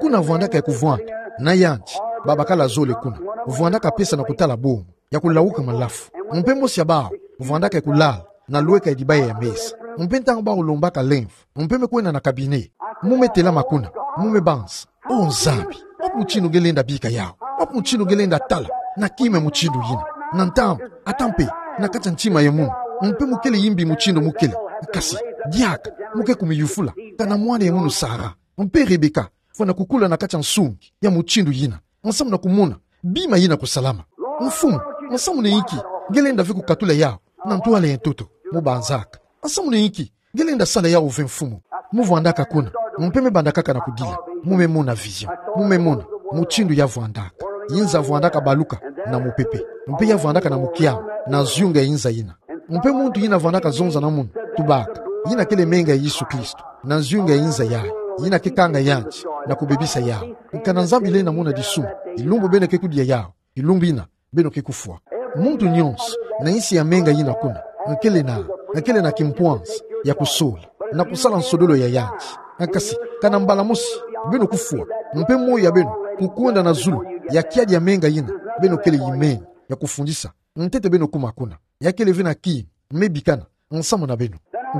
Kuna vwandaka ya kuvwanda na yandi babakala zole kuna. Vwandaka pesa na kutala bomo, ya kulawuka malafu. Mpe mosi ya bawu vwandaka ya kulala na lweka ya dibaya ya mesa. Mpe ntangu bawu lombaka lemvo, mpe me kwenda na cabinet, mu me telama kuna, mu me banza: O Nzambi, wapi mutindu nge lenda bika yawu? Wapi mutindu nge lenda tala na kima ya mutindu yina? Na ntambu, ata mpe na kati ya ntima ya munu, mpe mu kele yimbi mutindu mu kele. Kasi diaka mu ke kumiyufula: Kana mwana ya munu Sara mpe Rebeka fwana kukula na kati ya nsungi ya mutindu yina, nsamu na kumona bima yina kusalama? Mfumu, nsamu na inki nge lenda ve kukatula yawu na ntwala ya ntoto? Mu banzaka: Nsamu na inki nge lenda sala yawu ve, Mfumu? Mu vwandaka kuna, mpe me bandakaka na kudila. Mu me mona vision. Mu me mona mutindu ya vwandaka. Yinza vwandaka baluka na mupepe, mpe ya vwandaka na mukiamu na nzunga ya yinza yina. Mpe muntu yina vwandaka zonza na munu: Tubaka, yina kele menga ya Yesu Kristo, na nzunga ya yinza yayi, yina ke kanga yandi na kubebisa yawu. Kana Nzambi lenda mona disumu, kilumbu beno ke kudia yawu, kilumbu yina beno ke kufwa. Muntu nyonso na insi ya menga yina kuna, nkele na, nkele na kimpwanzi ya kusola na kusala nsodolo ya yandi. Kasi kana mbala mosi beno kufwa, mpe moyo ya beno kukwenda na zulu, ya kiadi ya menga yina beno kele yimeni ya kufundisa, ntete beno kuma kuna. Ya kele ve na kima me bikana nsamu na beno.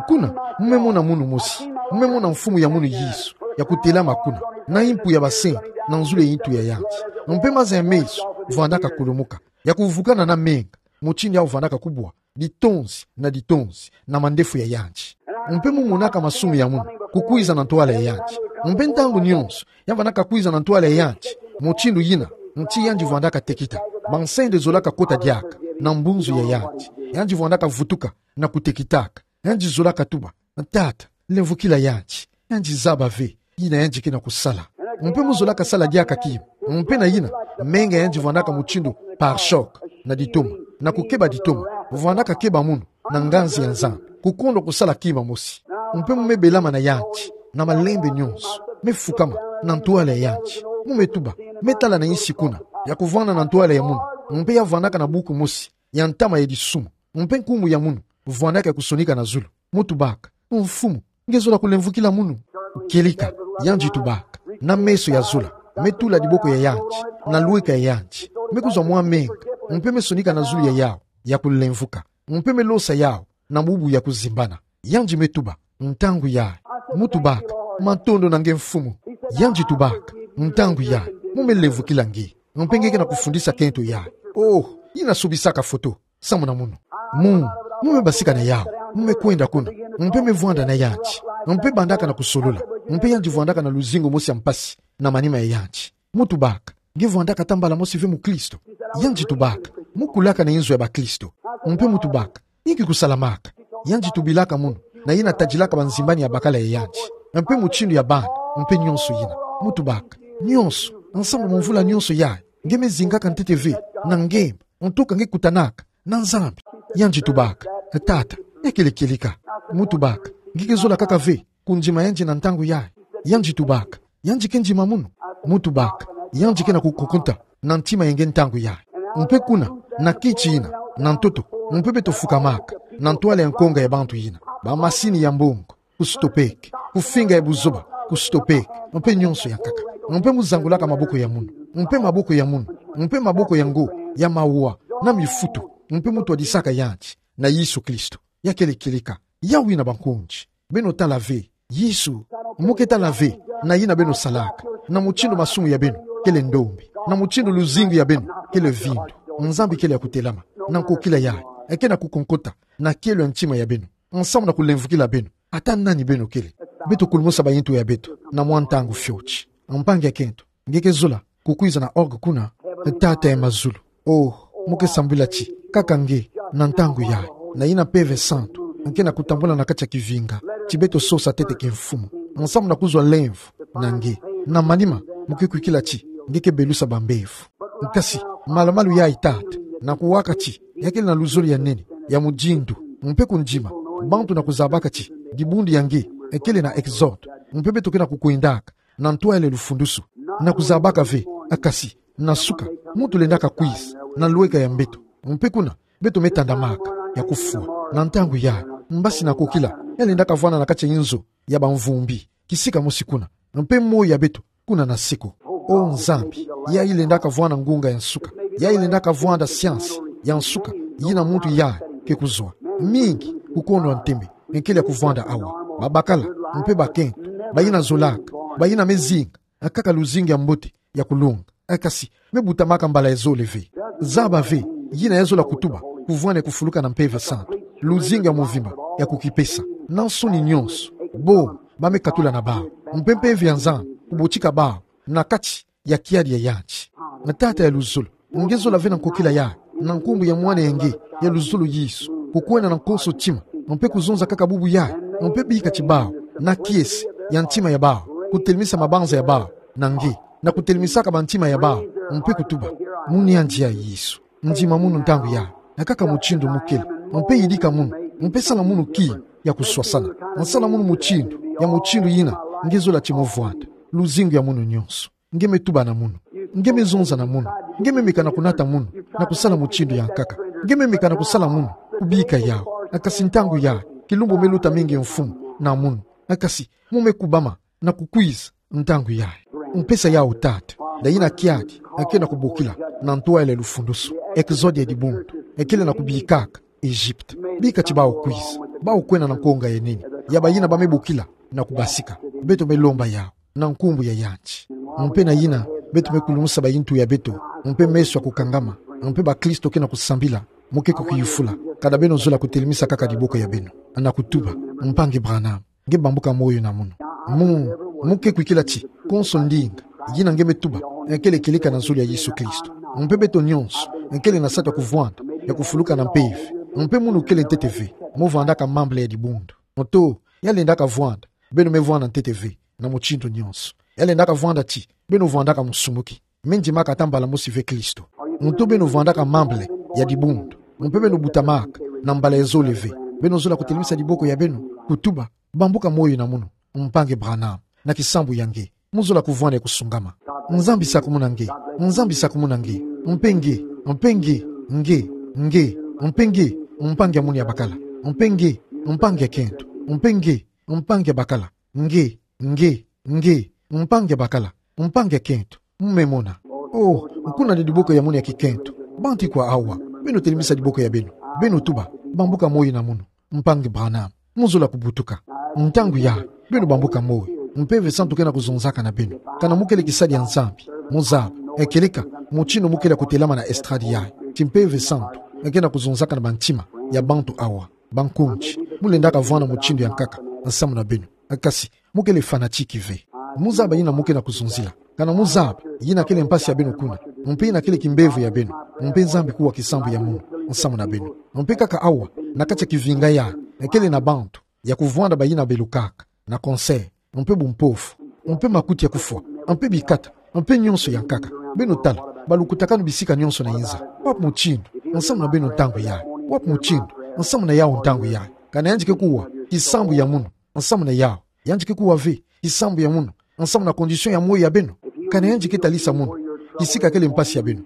Kuna mu me mona munu mosi, mu me mona Mfumu ya munu Yesu ya kutelama kuna, na impu ya basende na nzulu ya intu ya yandi. Mpe maza ya meso vwandaka kulumuka, ya kuvukana na menga, mutindu yawu vwandaka kubwa ditonzi na ditonzi na mandefu ya yandi. Mpe mu monaka masumu ya munu kukwiza na ntwala ya yandi. Mpe ntangu nyonso ya vwandaka kwiza na ntwala ya yandi mutindu yina, nti yandi vwandaka tekita. Bansende zolaka kota diaka na mbunzu ya yandi. Yandi vwandaka vutuka na kutekitaka. Yandi zolaka tuba: Tata, lemvokila yandi. Yandi zaba ve yina yandi ke na kusala. Mpe mu zolaka sala diaka kima. Mpe na yina, menga ya yandi vwandaka mutindu pare-choc na ditoma, na kukeba ditoma. Vwandaka keba munu na nganzi ya Nzambi, kukondwa kusala kima mosi. Mpe mu me belama na yandi na malembe nyonso, me fukama na ntwala ya yandi. Mu me tuba: Me tala na insi kuna, ya kuvwanda na ntwala ya munu, mpe ya vwandaka na buku mosi ya ntama ya disumu. Mpe nkumbu ya munu vwandaka ya kusonika na zulu. Mu tubaka: Mfumu, nge zola kulemvokila munu? Kieleka, yandi tubaka, na meso ya zola, me tula diboko ya yandi na lweka ya yandi, me kuzwa mwa menga, mpe me sonika na zulu ya yawu, ya kulemvoka, mpe me losa yawu na bubu ya kuzimbana. Yandi me tuba: Ntangu yayi. Mu tubaka: Matondo na nge, Mfumu. Yandi tubaka: Ntangu yayi mu me lemvokila nge, mpe nge ke na kufundisa kento yayi. Oh, yina sobisaka foto samu na munu. Mu, mu me basika na yawu, mu me kwenda kuna, mpe me vwanda na yandi, mpe bandaka na kusolola, mpe yandi vwandaka na luzingu mosi ya mpasi na manima ya yandi. Mu tubaka: Nge vwandaka ata mbala mosi ve mukristo? Yandi tubaka: Mu kulaka na inzo ya bakristo. Mpe mu tubaka: Inki kusalamaka? Yandi tubilaka munu na yina tadilaka banzimbani ya bakala ya yandi, mpe mutindu ya bana, mpe nyonso yina. Mu tubaka: Nyonso, nsamu mu mvula nyonso yayi, nge me zingaka ntete ve na ngemba, ntoka nge kutanaka na Nzambi? Yandi tubaka: Tata, ya kele kieleka. Mu tubaka: Nge ke zola kaka ve kundima yandi na ntangu yayi? Yandi tubaka: Yandi ke ndima munu. Mu tubaka: Yandi ke na kukokonta na ntima ya nge ntangu yayi. Mpe kuna, na kiti yina, na ntoto, mpe beto fukamaka na ntwala ya nkonga ya bantu yina, bamasini ya mbongo, kusitopeke, kufinga ya buzoba, kusitopeke, mpe nyonso ya nkaka. Mpe mu zangulaka maboko ya munu, mpe maboko ya munu, mpe maboko yango ya mawa na mifutu, mpe mu twadisaka yandi na Yesu Kristo. Ya kele kieleka. Yawu yina, bankonzi, beno tala ve. Yesu, mu ke tala ve na yina beno salaka, na mutindu masumu ya beno kele ndombe, na mutindu luzingu ya beno kele vindu. Nzambi kele ya kutelama, na nkokila yayi, ke na kukonkota na kielo ya ntima ya beno, nsamu na kulemvokila beno ata nani beno kele. Beto kulumusa bayintu ya beto na mwa ntangu fioti. Mpangi ya kento, nge ke zola kukwiza na orgue kuna? Tata ya mazulu, oh, mu ke sambila ti kaka nge na ntangu yayi, na yina Mpeve Santu ke na kutambula na kati ya kivinga ti beto sosa ntete kimfumu, nsamu na kuzwa lemvo na nge. Na manima mu ke kwikila ti nge ke belusa bambevo. Kasi malu-malu yayi, Tata, na kuwaka ti ya kele na luzolo ya nene ya muzindu Mpe kundima, bantu na kuzabaka ti dibundu ya nge ekele na Exode. Mpe beto ke na kukwendaka na ntwala ya lufundusulu, na kuzabaka ve, akasi, na suka, muntu lendaka kwiza na lweka ya mbeto. Mpe kuna beto me tandamaka ya kufwa. Na ntangu yayi, mbasi na kokila ya lendaka vwanda na kati ya inzo ya bamvumbi, kisika mosi kuna, mpe moyo ya beto kuna na seko. O Nzambi, yayi lendaka vwanda ngunga ya nsuka, yayi lendaka vwanda siansi ya nsuka, yina muntu yayi ke kuzwa. Mingi kukondwa ntembe ekele ya kuvwanda awa. Babakala mpe bakento, bayina zolaka, bayina me zinga kaka luzingu ya mbote ya kulonga, akasi me butamaka mbala ya zole ve. Zaba ve yina ya zola kutuba kuvwanda ya kufuluka na Mpeve Santu, luzingu ya mvimba ya kukipesa, na nsoni nyonso. Bo ba me katula na bawu, mpe Mpeve ya Nzambi kubotika bawu na kati ya kiadi ya yanti. Na Tata ya luzolo, nge zola ve na nkokila yayi, na nkumbu ya Mwana ya nge ya luzolo Yesu, kukwenda na nkoso ntima, mpe kuzonza kaka bubu yayi, mpe bika ti bawu na kiese ya ntima ya bawu, kutelemisa mabanza ya bawu na nge, na kutelemisaka bantima ya bawu, mpe kutuba: Munu yandi ya Yesu, ndima munu ntangu yayi, na kaka mutindu mu kele, mpe yidika munu, mpe sala munu kima ya kuswasana, na sala munu mutindu ya mutindu yina nge zola ti mo vwanda. Luzingu ya munu nyonso, nge me tuba na munu, nge me zonza na munu, nge me meka na kunata munu na kusala mutindu ya nkaka, nge me meka na kusala munu kubika yawu. Akasi ntangu yayi, kilumbu me luta mingi, Mfumu, na munu. Akasi mu me kubama na kukwiza ntangu yayi. Mpesa yawu, Tata, na yina kiadi ke na kubokila na ntwala ya lufundusulu, Exode ya dibundu, ekele na kubikaka Egypte. Bika ti bawu kwiza, bawu kwenda na nkonga ya nene ya bayina ba me bokila na kubasika. Beto me lomba yawu na nkumbu ya yanti. Mpe na yina, beto me kulumusa bayintu ya beto, mpe meso ya kukangama, mpe bakristo ke na kusambila, mo ke kukiyufula, kana beno zola kutelemisa kaka diboko ya beno na kutuba: Mpangi Branham, nge bambuka moyo na munu. Mu, mu ke kwikila ti konso ndinga yina nge me tuba ekele kieleka na zulu ya Yesu Kristo. Mpe beto nyonso ekele na satu ya kuvwanda ya kufuluka na mpeve. Mpe munu kele ntete ve mo vwandaka membre ya dibundu. Moto ya lendaka vwanda, beno me vwanda ntete ve na mutindu nyonso. Ya lendaka vwanda ti beno vwandaka musumuki, me ndimaka ata mbala mosi ve Kristo. Moto beno vwandaka membre ya dibundu, mpe beno butamaka na mbala ya zole ve, beno zola kutelemisa diboko ya beno, kutuba: Bambuka moyo na munu, Mpangi Branham, na kisambu ya nge. Mo zola kuvwanda ya kusungama. Nzambi sakumuna nge, Nzambi sakumuna nge, mpe nge, mpe nge, nge, nge, mpe nge, mpangi ya munu ya bakala, mpe nge, mpangi ya kento, mpe nge, mpangi ya bakala, nge, nge, nge, mpangi ya bakala, mpangi ya kento. Mo me mona. Oh, kuna ni diboko ya munu ya kikento. Bantu ikwa awa, beno telemisa diboko ya beno, beno tuba: Bambuka moyo na munu, Mpangi Branham. Mo zola kubutuka. Ntangu yayi, beno bambuka moyo. Mpeve Santu ke na kuzonzaka na beno. Kana mo kele kisadi ya Nzambi, mo zaba, e kieleka mutindu mo kele kutelama na estrade yayi, ti Mpeve Santu ke na kuzonzaka na bantima ya bantu awa. Bankonzi, mo lendaka vwanda mutindu ya nkaka nsamu na beno. Kasi mo kele fanatique ve. Mo zaba yina mo ke na kuzonzila. Kana mo zaba yina kele mpasi ya beno kuna, mpe yina kele kimbevo ya beno, mpe Nzambi kuwa kisambu ya munu nsamu na beno. Mpe kaka awa, na kati ya kivinga yayi, kele na bantu ya kuvwanda bayina belukaka na cancer, mpe bumpofu, mpe makuti ya kufwa, mpe bikata, mpe nyonso ya nkaka. Beno tala balukutakanu bisika nyonso na inza. Wapi mutindu nsamu na beno ntangu yayi? Wapi mutindu nsamu na yawu ntangu yayi? Kana yandi ke kuwa kisambu ya munu nsamu na yawu? Yandi ke kuwa ve kisambu ya munu nsamu na condition ya moyo ya beno? Kana yandi ke talisa munu kisika kele mpasi ya beno,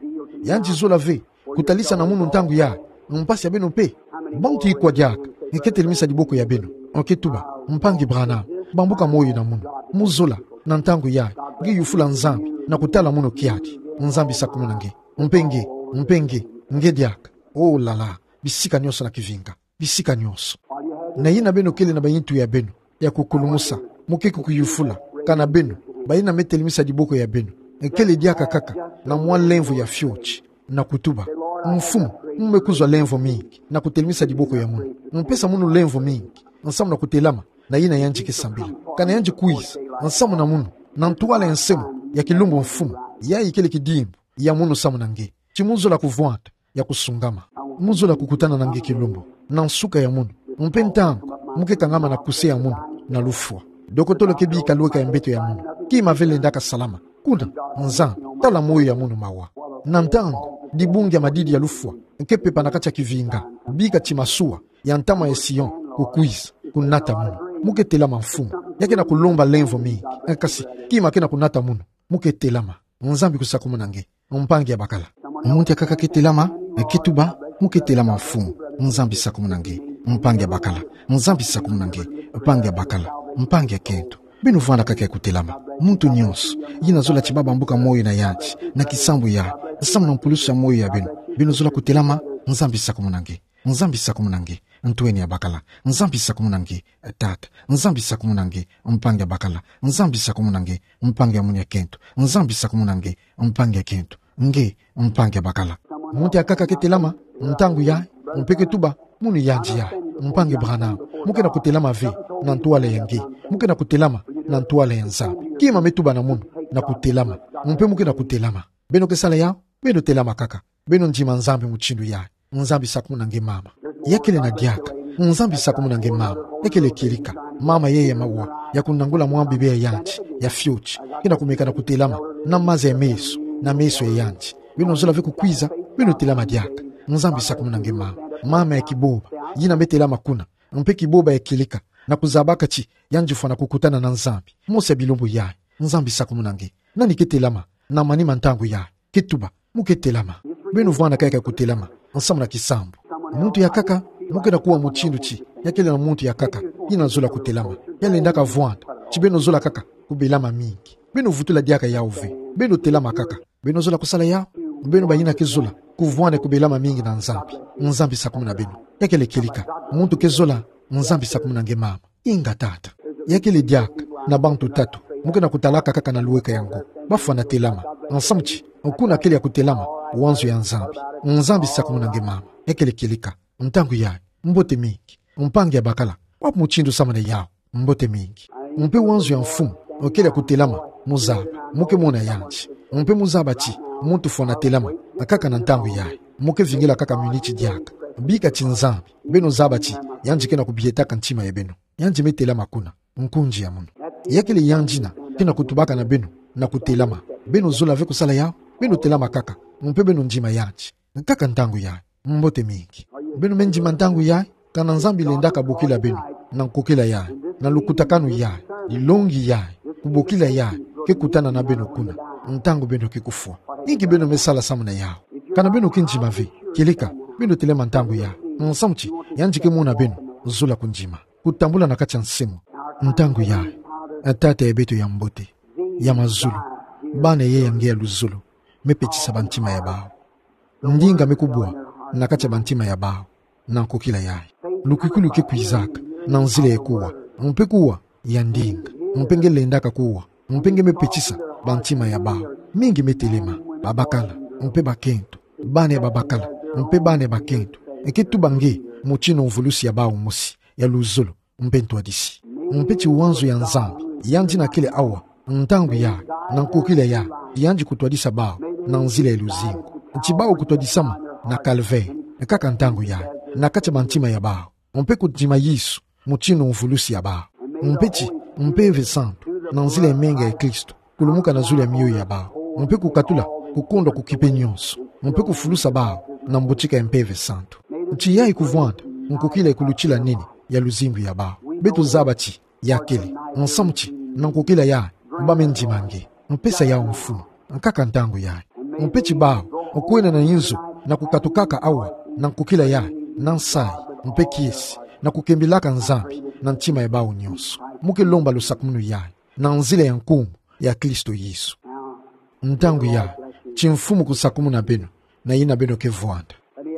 yandi zola ve kutalisa na munu ntangu yayi mpasi ya beno mpe? Bantu ikwa diaka ke telemisa diboko ya beno, ke tuba: Mpangi Branham, bambuka moyo na munu? Mo zola na ntangu yayi nge yufula Nzambi na kutala munu kiadi: Nzambi sakumuna nge, mpe nge, mpe nge, nge diaka. Oh là là, bisika nyonso na kivinga, bisika nyonso. Na yina beno kele na bayintu ya beno ya kukulumusa, mo ke kukiyufula. Kana beno bayina me telemisa diboko ya beno, kele diaka kaka na mwa lemvo ya fioti, na kutuba: Mfumu, mo me kuzwa lemvo mingi na kutelemisa diboko ya munu. Mpesa munu lemvo mingi nsamu na kutelama na yina yandi ke sambila. Kana yandi kwiza nsamu na munu na ntwala ya nse munu ya kilumbu, Mfumu, yayi kele kidimbu ya munu nsamu na nge, ti mo zola kuvwanda ya kusungama. Mo zola kukutana na nge kilumbu na nsuka ya munu, mpe ntangu mo ke kangama na kuse ya munu na lufwa, dokotolo ke bika lweka ya mbeto ya munu: Kima ve lendaka salama. Kuna, Nzambi, tala moyo ya munu mawa. Na ntangu dibungi ya madidi ya lufwa ke pepa na kati ya kivinga, bika ti masuwa ya ntama ya Sion, kukwiza, kunata munu. Mo ke telama mfumu, ya ke na kulomba lemvo mingi, kasi, kima ke na kunata munu, mo ke telama. Nzambi kusakumuna nge, mpangi ya bakala. Muntu ya kaka ke telama, ke tuba, mo ke telama mfumu, Nzambi sakumuna nge, mpangi ya bakala, Nzambi sakumuna nge, mpangi ya bakala, mpangi ya kento. Beno vwanda kaka ya kutelama. Muntu nyonso yina zola ti baba mbuka moyo na yandi, na kisambu ya, samu na mpulusi ya moyo ya beno, beno zola kutelama, Nzambi sakumuna nge. Nzambi sakumuna nge, ntweni ya bakala. Nzambi sakumuna nge, tata. Nzambi sakumuna nge, mpangi ya bakala. Nzambi sakumuna nge, mpangi ya munu ya kento. Nzambi sakumuna nge, mpangi ya kento. Nge, mpangi ya bakala. Muntu ya kaka ke telama, ntangu ya, mpe ke tuba, munu yandi ya, mpangi Branham. Mo ke na kutelama ve, na ntwala ya nge. Mo ke na kutelama, na ntwala ya Nzambi. Kima me tuba na munu, na kutelama. Mpe mo ke na kutelama. Beno ke sala ya, beno telama kaka. Beno ndima Nzambi mutindu ya. Nzambi sakumuna nge mama. Ya kele na diaka. Nzambi sakumuna nge mama. Ya kele kieleka. Mama yeye mawa. Ya kunangula mwa bebe ya yandi. Ya fioti. Ke na kumeka na kutelama. Na maza ya meso. Na meso ya yandi. Beno zola ve kukwiza. Beno telama diaka. Nzambi sakumuna nge mama. Mama ya kiboba. Yina me telama kuna. Mpe kiboba ya kieleka. Na kuzabaka ti yandi fwana kukutana na Nzambi. Mosi ya bilumbu ya. Nzambi sakumuna nge. Nani ke telama. Na manima ntangu ya. Ke tuba, mo ke telama. Beno vwanda kaka ya kutelama, nsamu na kisambu. Muntu ya kaka, mo ke na kuwa mutindu ti, ya kele na muntu ya kaka, yina zola kutelama. Ya lendaka vwanda, ti beno zola kaka, kubelama mingi. Beno vutula diaka yau ve, beno telama kaka. Beno zola kusala yau, beno bayina ke zola, kuvwanda kubelama mingi na Nzambi. Nzambi sakumuna beno. Ya kele kieleka, muntu ke zola, Nzambi sakumuna nge mama. Inga tata. Ya kele diaka, na bantu tatu. Mo ke na kutalaka kaka na luweka ya ngo. Bafwana telama. Nsamu ti, kuna kele ya kutelama, wanzo ya Nzambi. Nzambi sakumuna nge mama. Ya kele kieleka. Ntangu ya, mbote mingi. Mpangi ya bakala. Wapi mutindu samuna yau. Mbote mingi. Mpe wanzo ya mfumu. Kele ya kutelama. Mo zaba. Mo ke mona yandi. Mpe mo zaba ti. Muntu fwana telama. Kaka na ntangu ya. Mo ke vingila kaka miniti diaka. Bika ti Nzambi. Beno zaba ti. Yandi ke na kubietaka ntima ya beno. Yandi me telama kuna, nkunzi ya munu. Ya kele yandi yina, ke na kutubaka na beno, na kutelama. Beno zola ve kusala yau, beno telama kaka, mpe beno ndima yandi. Kaka ntangu ya, mbote mingi. Beno me ndima ntangu ya, kana Nzambi lendaka bokila beno, na nkokila ya, na lukutakanu ya, dilongi ya, kubokila ya, ke kutana na beno kuna, ntangu beno ke kufwa. Inki beno me sala samuna yau. Kana beno ke ndima ve, kieleka, beno telama ntangu ya, nsamu ti, yandi ke mona beno, zola kundima. Kutambula na kati ya nsemu'aku. Ntangu ya, Tata ya beto ya mbote, ya mazulu, bana yai ya nge ya luzolo, me petisa bantima ya bau. Ndinga me kubwa, na kati ya bantima ya bau, na nkokila yai. Lukwikilu ke kwizaka, na nzila ya kuwa, mpe kuwa, ya ndinga, mpe nge lendaka kuwa, mpe nge me petisa, bantima ya bau. Mingi me telema, babakala, mpe bakento, bana ya babakala, mpe bana ya bakento. Ke tuba nge, motino mvulusi ya bau mosi, ya luzolo, mpe ntwadisi. Mpe ti wanzo ya Nzambi, yandi yina kele awa, ntangu ya, na nkokila ya, yandi kutwadisa bau, na nzila ya luzingu. Ti bau kutwadisama, na Calvaire, kaka ntangu ya, na kati ya bantima ya bau. Mpe kundima Yesu, motino mvulusi ya bau. Mpe ti, Mpeve Santu, na nzila ya menga ya Kristo, kulumuka na zulu ya miyo ya bau. Mpe kukatula, kukondwa kukipe nyonso. Mpe kufulusa bau, na mbotika ya Mpeve Santu. Ti yai kuvwanda, nkokila ya kulutila nene, ya luzingu ya bau. Beto zaba ti, ya kele, nsamu ti, na nkokila ya, bau me ndima nge. Mpesa yau mfumu, kaka ntangu ya. Mpe ti bau, okwenda na inzo, na kukatukaka awa, na nkokila ya, na nsayi, mpe kiese, na kukembelaka Nzambi, na ntima ya bau nyonso. Mo ke lomba lusakumunu ya, na nzila ya nkumbu, ya Kristo Yesu. Ntangu ya, ti mfumu kusakumuna beno, na yina beno ke vwanda.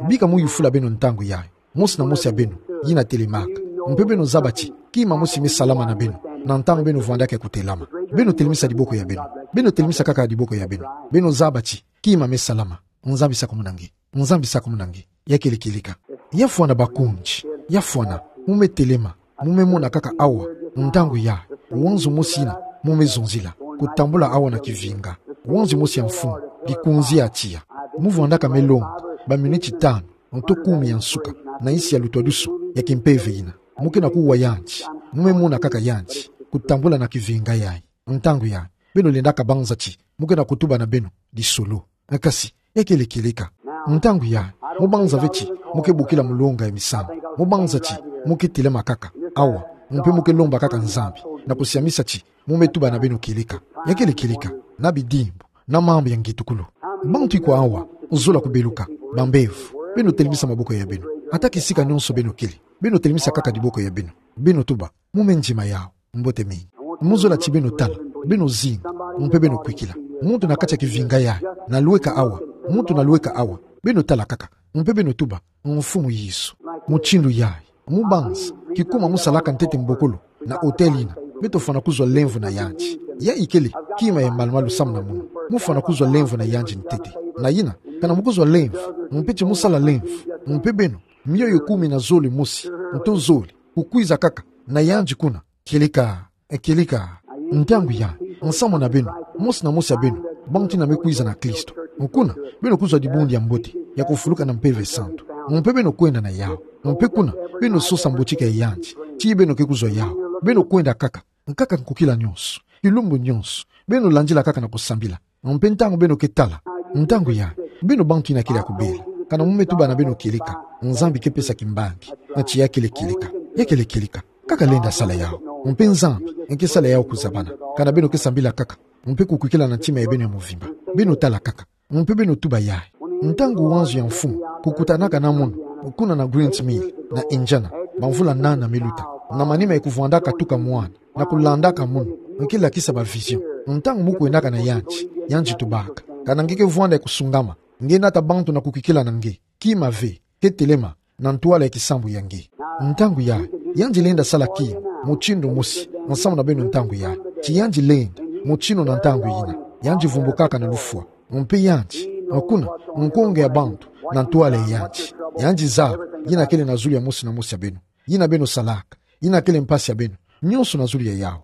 Bika mo yufula beno ntangu ya, mosi na mosi ya beno, yina telemaka. Mpe beno zaba ti, kima mosi me salama na beno, na ntangu beno vwandaka ya kutelama. Beno telemisa diboko ya beno. Beno telemisa kaka diboko ya beno. Beno zaba ti, kima me salama. Nzambi sakumuna nge. Nzambi sakumuna nge. Ya kele kieleka. Ya fwana bakonzi. Ya fwana. Mo me telema. Mo me mona kaka awa. Ntangu ya. Wanzo mosi yina. Mo me zonzila. Kutambula awa na kivinga. Wanzo mosi ya mfumu. Likunzi ya tiya. Mo vwandaka me longa. Baminiti tanu. Nto kumi ya nsuka, na nsi ya lutwadusu, ya kimpeve yina. Mo ke na kuwa yandi, mo me mona kaka yandi, kutambula na kivinga yai. Ntangu ya, beno lendaka banza ti, mo ke na kutuba na beno, lisolo. Kasi, ya kele kieleka. Ntangu ya, Mo banza ve ti mo ke bokila molonga ya misamu. Mo banza ti mo ke telema kaka awa, mpe mo ke lomba kaka Nzambi na kusiamisa ti mo me tuba na beno kieleka. Ya kele kieleka, na bidimbu, na mambu ya ngitukulu. Bantu iko awa, zola kubeluka, bambevo. Beno telemisa maboko ya beno. Ata kisika nionso beno kele, beno telemisa kaka diboko ya beno. Beno tuba: Mo me ndima yawu. Mbote mingi. Mo zola ti beno tala, beno zinga, mpe beno kwikila. Muntu na kati ya kivinga yayi na lweka awa. Muntu na lweka awa. Beno tala kaka, mpe beno tuba: Mfumu Yesu. Mutindu yayi, mo banza, kikuma mo salaka ntete mbokolo na hôtel yina, beto fwana kuzwa lemvo na yandi. Yayi kele kima ya malumalu samu na mono. Mo fwana kuzwa lemvo na yandi ntete. Na yina, kana mo kuzwa lemvo, mpe ti mo sala lemvo, mpe beno, mioyo kumi na zole mosi, nto zole, kukwiza kaka na yandi kuna. Kieleka, kieleka. Ntangu yayi, nsamu na beno, mosi na mosi ya beno, bantu yina me kwiza na Kristo, kuna beno kuzwa dibundu ya mbote ya kufuluka na Mpeve Santu. Mpe beno kwenda na yawu. Mpe kuna beno sosa mbotika ya yandi. Ti beno ke kuzwa yawu, beno kwenda kaka, nkaka nkukila nionso, kilumbu nionso, beno landila kaka na kusambila. Mpe ntangu beno ke tala, ntangu yayi, beno bantu yina kele ya kubela, kana mo me tuba na beno kieleka, Nzambi ke pesa kimbangi. Na ti ya kele kieleka. Ya kele kieleka. Kaka lenda sala yawu. Mpe Nzambi ke sala yawu kuzabana, kana beno ke sambila kaka, mpe kukwikila na ntima ya beno ya mvimba. Beno tala kaka, mpe beno tuba yayi. Ntangu wanzu ya mfumu kukutanaka na mono kuna na Grants Mill, na Indiana, bamvula nana me luta, na manima ya kuvwandaka tuka mwana, na kulandaka mono, nke lakisa ba vision. Ntangu mo kwendaka na yandi, yandi tubaka: Kana nge ke vwanda ya kusungama, nge nata bantu na kukwikila na nge, kima ve, ke telema na ntwala ya kisambu ya nge. Ntangu yayi, yandi lenda sala kima mutindu mosi nsamu na beno ntangu yayi. Ti yandi lenda mutindu na ntangu yina. Yandi vumbukaka na lufwa. Mpe yandi, kuna, nkonge ya bantu na ntwala ya yandi. Yandi zaba yina kele na zulu ya mosi na mosi ya beno, yina beno salaka, yina kele mpasi ya beno, nionso na zulu ya yawu.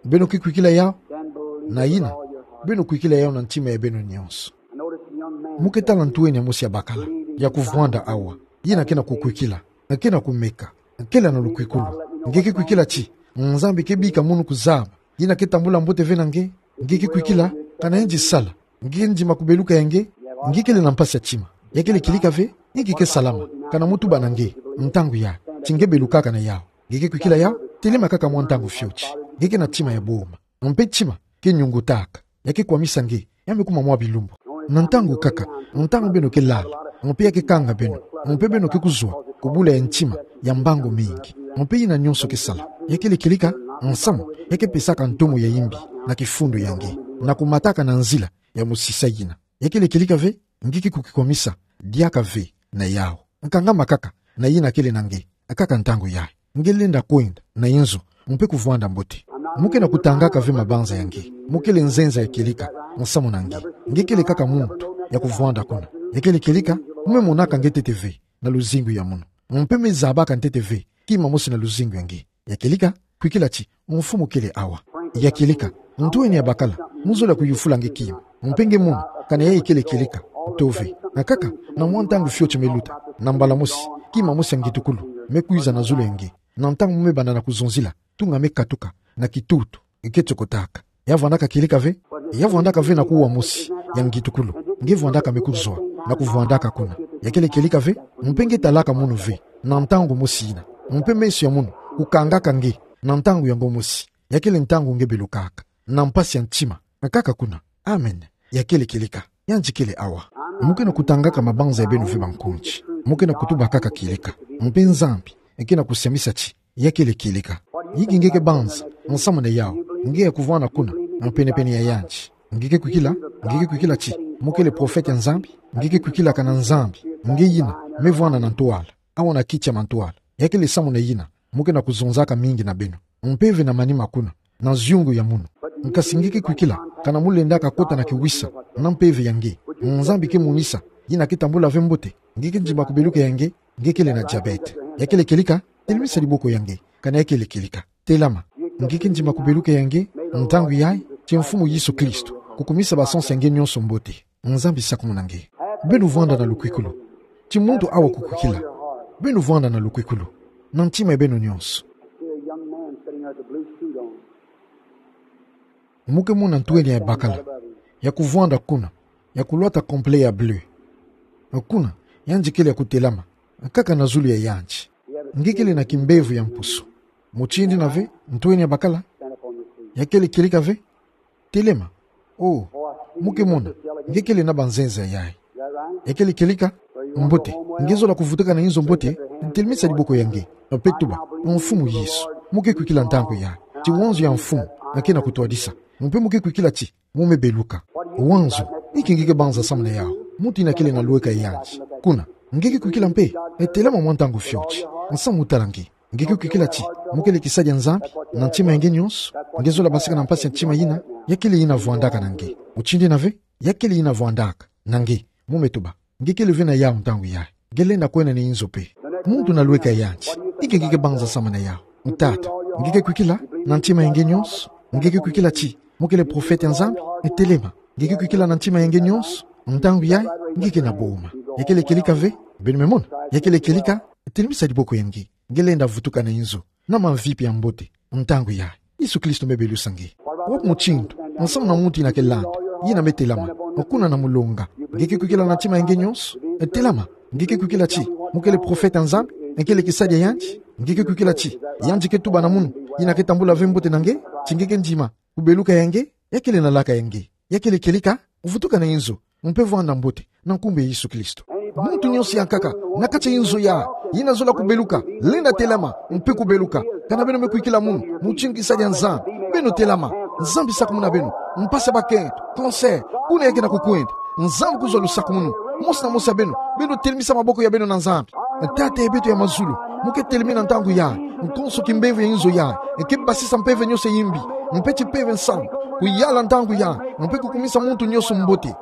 Beno ke kwikila yawu? Na yina, beno kwikila yawu na ntima ya beno nionso. Mo ke tala ntwenia mosi ya bakala ya kuvwanda awa, yina ke na kukwikila, ke na kumeka, kele na lukwikulu. Nge ke kwikila ti Nzambi ke bika mono kuzaba yina ke tambula mbote ve na nge? Nge ke kwikila? Kana yandi sala, nge ke ndima kubeluka ya nge? Nge kele na mpasi ya tima? Ya kele kieleka ve? Nge ke salama, kana mo tuba na nge ntangu yayi ti nge belukaka na yawu? Nge ke kwikila yawu? Telema kaka mwa ntangu fioti. Nge ke na tima ya boma, mpe tima ke nyungutaka, ya ke kwamisa nge, ya me kuma mwa bilumbu. Na ntangu kaka, ntangu beno ke lala, mpe ya ke kanga beno, mpe beno ke kuzwa ku bula ya ntima ya mbangu mingi, mpe yina nionso ke sala, ya kele kieleka, nsamu ya ke pesaka ntomo ya imbi na kifundu ya nge, na kumataka na nzila ya mosisa yina. Ya kele kieleka ve? Nge ke kukikwamisa diaka ve na yawu. Kangama kaka na yina kele na nge, kaka ntangu yayi. Nge lenda kwenda na inzo, mpe kuvwanda mbote. Mo ke na kutangaka ve mabanza ya nge. Mo kele nzenza ya kieleka nsamu na nge. Nge kele kaka muntu ya kuvwanda kuna. Ya kele kieleka? Mo me monaka nge ntete ve na luzingu ya mono, mpe me zabaka ntete ve kima mosi na luzingu ya nge. Ya kieleka? Kwikila ti Mfumu kele awa. Ya kieleka? Ntwenia ya bakala, mo zola kuyufula nge kima, mpe nge mono kana yayi kele kieleka. Nto ve. Kaka na mwa ntangu fioti me luta, na mbala mosi, kima mosi ya ngitukulu me kwiza na zulu ya nge. Na ntangu mo me banda na kuzonzila, tunga me katuka na kitutu ke tokotaka. Ya vwandaka kieleka ve? Ya vwandaka ve na kuwa mosi ya ngitukulu. Nge vwandaka me kuzwa na kuvwandaka kuna. Ya kele kieleka ve? Mpe nge talaka mono ve na ntangu mosi yina, mpe meso ya mono kukangaka nge na ntangu yango mosi. Ya kele ntangu nge belukaka na mpasi ya ntima, kaka kuna. Amen. Ya kele kieleka. Yandi kele awa. Mo ke na kutangaka mabanza ya beno ve bankonti. Mo ke na kutuba kaka kieleka, mpe Nzambi ke na kusiamisa ti ya kele kieleka. Inki nge ke banza nsamu na yawu? Nge ya kuvwanda kuna, mpenepene ya yandi. Nge ke kwikila? Nge ke kwikila ti mo kele profete ya Nzambi? Nge ke kwikila kana Nzambi nge yina me vwanda na ntwala, awa na kiti ya mantwala? Ya kele samu na yina mo ke na kuzonzaka mingi na beno, mpeve na manima kuna, na ziungu ya mono. Nkasi nge ke kwikila kana mo lendaka kota na kiwisa na mpeve ya nge, Nzambi ke monisa yina ke tambula ve mbote? Nge ke ndima kubeluka ya nge? Nge kele na diabete. Ya kele kieleka? Telemisa diboko ya nge kana ya kele kieleka. Telama. Nge ke ndima kubeluka ya nge ntangu yayi, ti Mfumu Yesu Kristo kukumisa basansu ya nge nionso mbote. Nzambi sakumuna nge. Beno vwanda na lukwikulu. Ti muntu awa kukwikila. Beno vwanda na lukwikulu na ntima ya beno nionso. Mo ke mona ntwenia ya bakala ya kuvwanda kuna, ya kulwata complet ya bleu. Kuna, Yandi kele ya kutelama, nkaka na zulu ya yandi. Nge kele na kimbevo ya mpusu. Mutindi na ve, ntweni ya bakala. Ya kele kieleka ve, telema. O, mu ke mona, nge kele na banzenza yayi. Ya kele kieleka? Mbote. Nge zola kuvutuka na inzo mbote, telemisa diboko ya nge. Mpe tuba: Mfumu Yesu, mu ke kwikila ntangu yayi ti wanzo ya mfumu nge ke na kutwadisa. Mpe mu ke kwikila ti mu me beluka. Wanzo, inki nge ke banza samu na yawu? Muntu ina kele na lweka yandi. Kuna, nge ke kwikila mpe? E, telama mwa ntangu fioti. Nsamu tala nge. Nge ke kwikila ti mu kele kisadi ya Nzambi na ntima ya nge nyonso? Nge zola basika na mpasi ya ntima yina? Ya kele yina vwandaka na nge. Mutindi na ve, ya kele yina vwandaka na nge. Mu me tuba: Nge kele ve na yawu ntangu yayi. Nge lenda kwenda na inzo mpe. Muntu na lweka yandi, inki nge ke banza samu na yawu? Tata, nge ke kwikila na ntima ya nge nyonso? Nge ke kwikila ti mu kele profeta ya Nzambi? E, telema. Nge ke kwikila na ntima ya nge nyonso? Ntangu yayi, nge ke na boma. Ya kele kieleka ve? Beno me mona? Ya kele kieleka? Telemisa diboko ya nge. Nge lenda vutuka na inzo na mamvipi ya mbote ntangu yayi. Yesu Kristo me belusa nge. Wapi mutindu, nsamu na muntu ina ke landa, yina me telama? Kuna na mulonga. Nge ke kwikila na ntima ya nge nyonso? E, telama. Nge ke kwikila ti mu kele profeta ya Nzambi? E, kele kisadi ya yandi? Nge ke kwikila ti yandi ke tuba na munu ina ke tambula ve mbote na nge ti nge ke ndima kubeluka ya nge? Ya kele na laka ya nge. Ya kele kieleka? Vutuka na inzo, mpe vwanda mbote na nkumbu ya Yesu Kristo. Muntu nyonso ya nkaka na kati ya inzo yayi, ina zola kubeluka, lenda telama mpe kubeluka. Kana beno me kwikila munu mutindu kisadi ya Nzambi, beno telama. Nzambi sakumuna beno. Mpasi ya bakento, cancer, kuna nge ke na kukwenda, Nzambi kuzwa lusakumunu. Mosi na mosi ya beno, beno telemisa maboko ya beno na Nzambi. Tata ya beto ya mazulu, mu ke telemi na ntangu yayi, nkonso kimbevo ya inzo yayi, nge ke basisa mpeve nyonso ya yimbi, mpe ti mpeve nsamu, kuyala ntangu yayi, mpe kukumisa muntu nyonso mbote.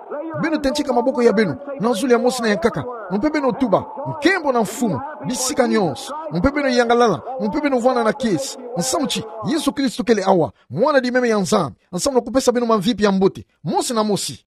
Beno tentika maboko ya beno na zulu ya mosi na ya nkaka, mpe beno tuba: Nkembo na mfumu bisika nyonso. Mpe beno yangalala, mpe beno vwanda na kiese, nsamu ti Yesu Kristo kele awa, Mwana di meme ya Nzambi, nsamu na kupesa beno mamvipi ya mbote mosi na mosi.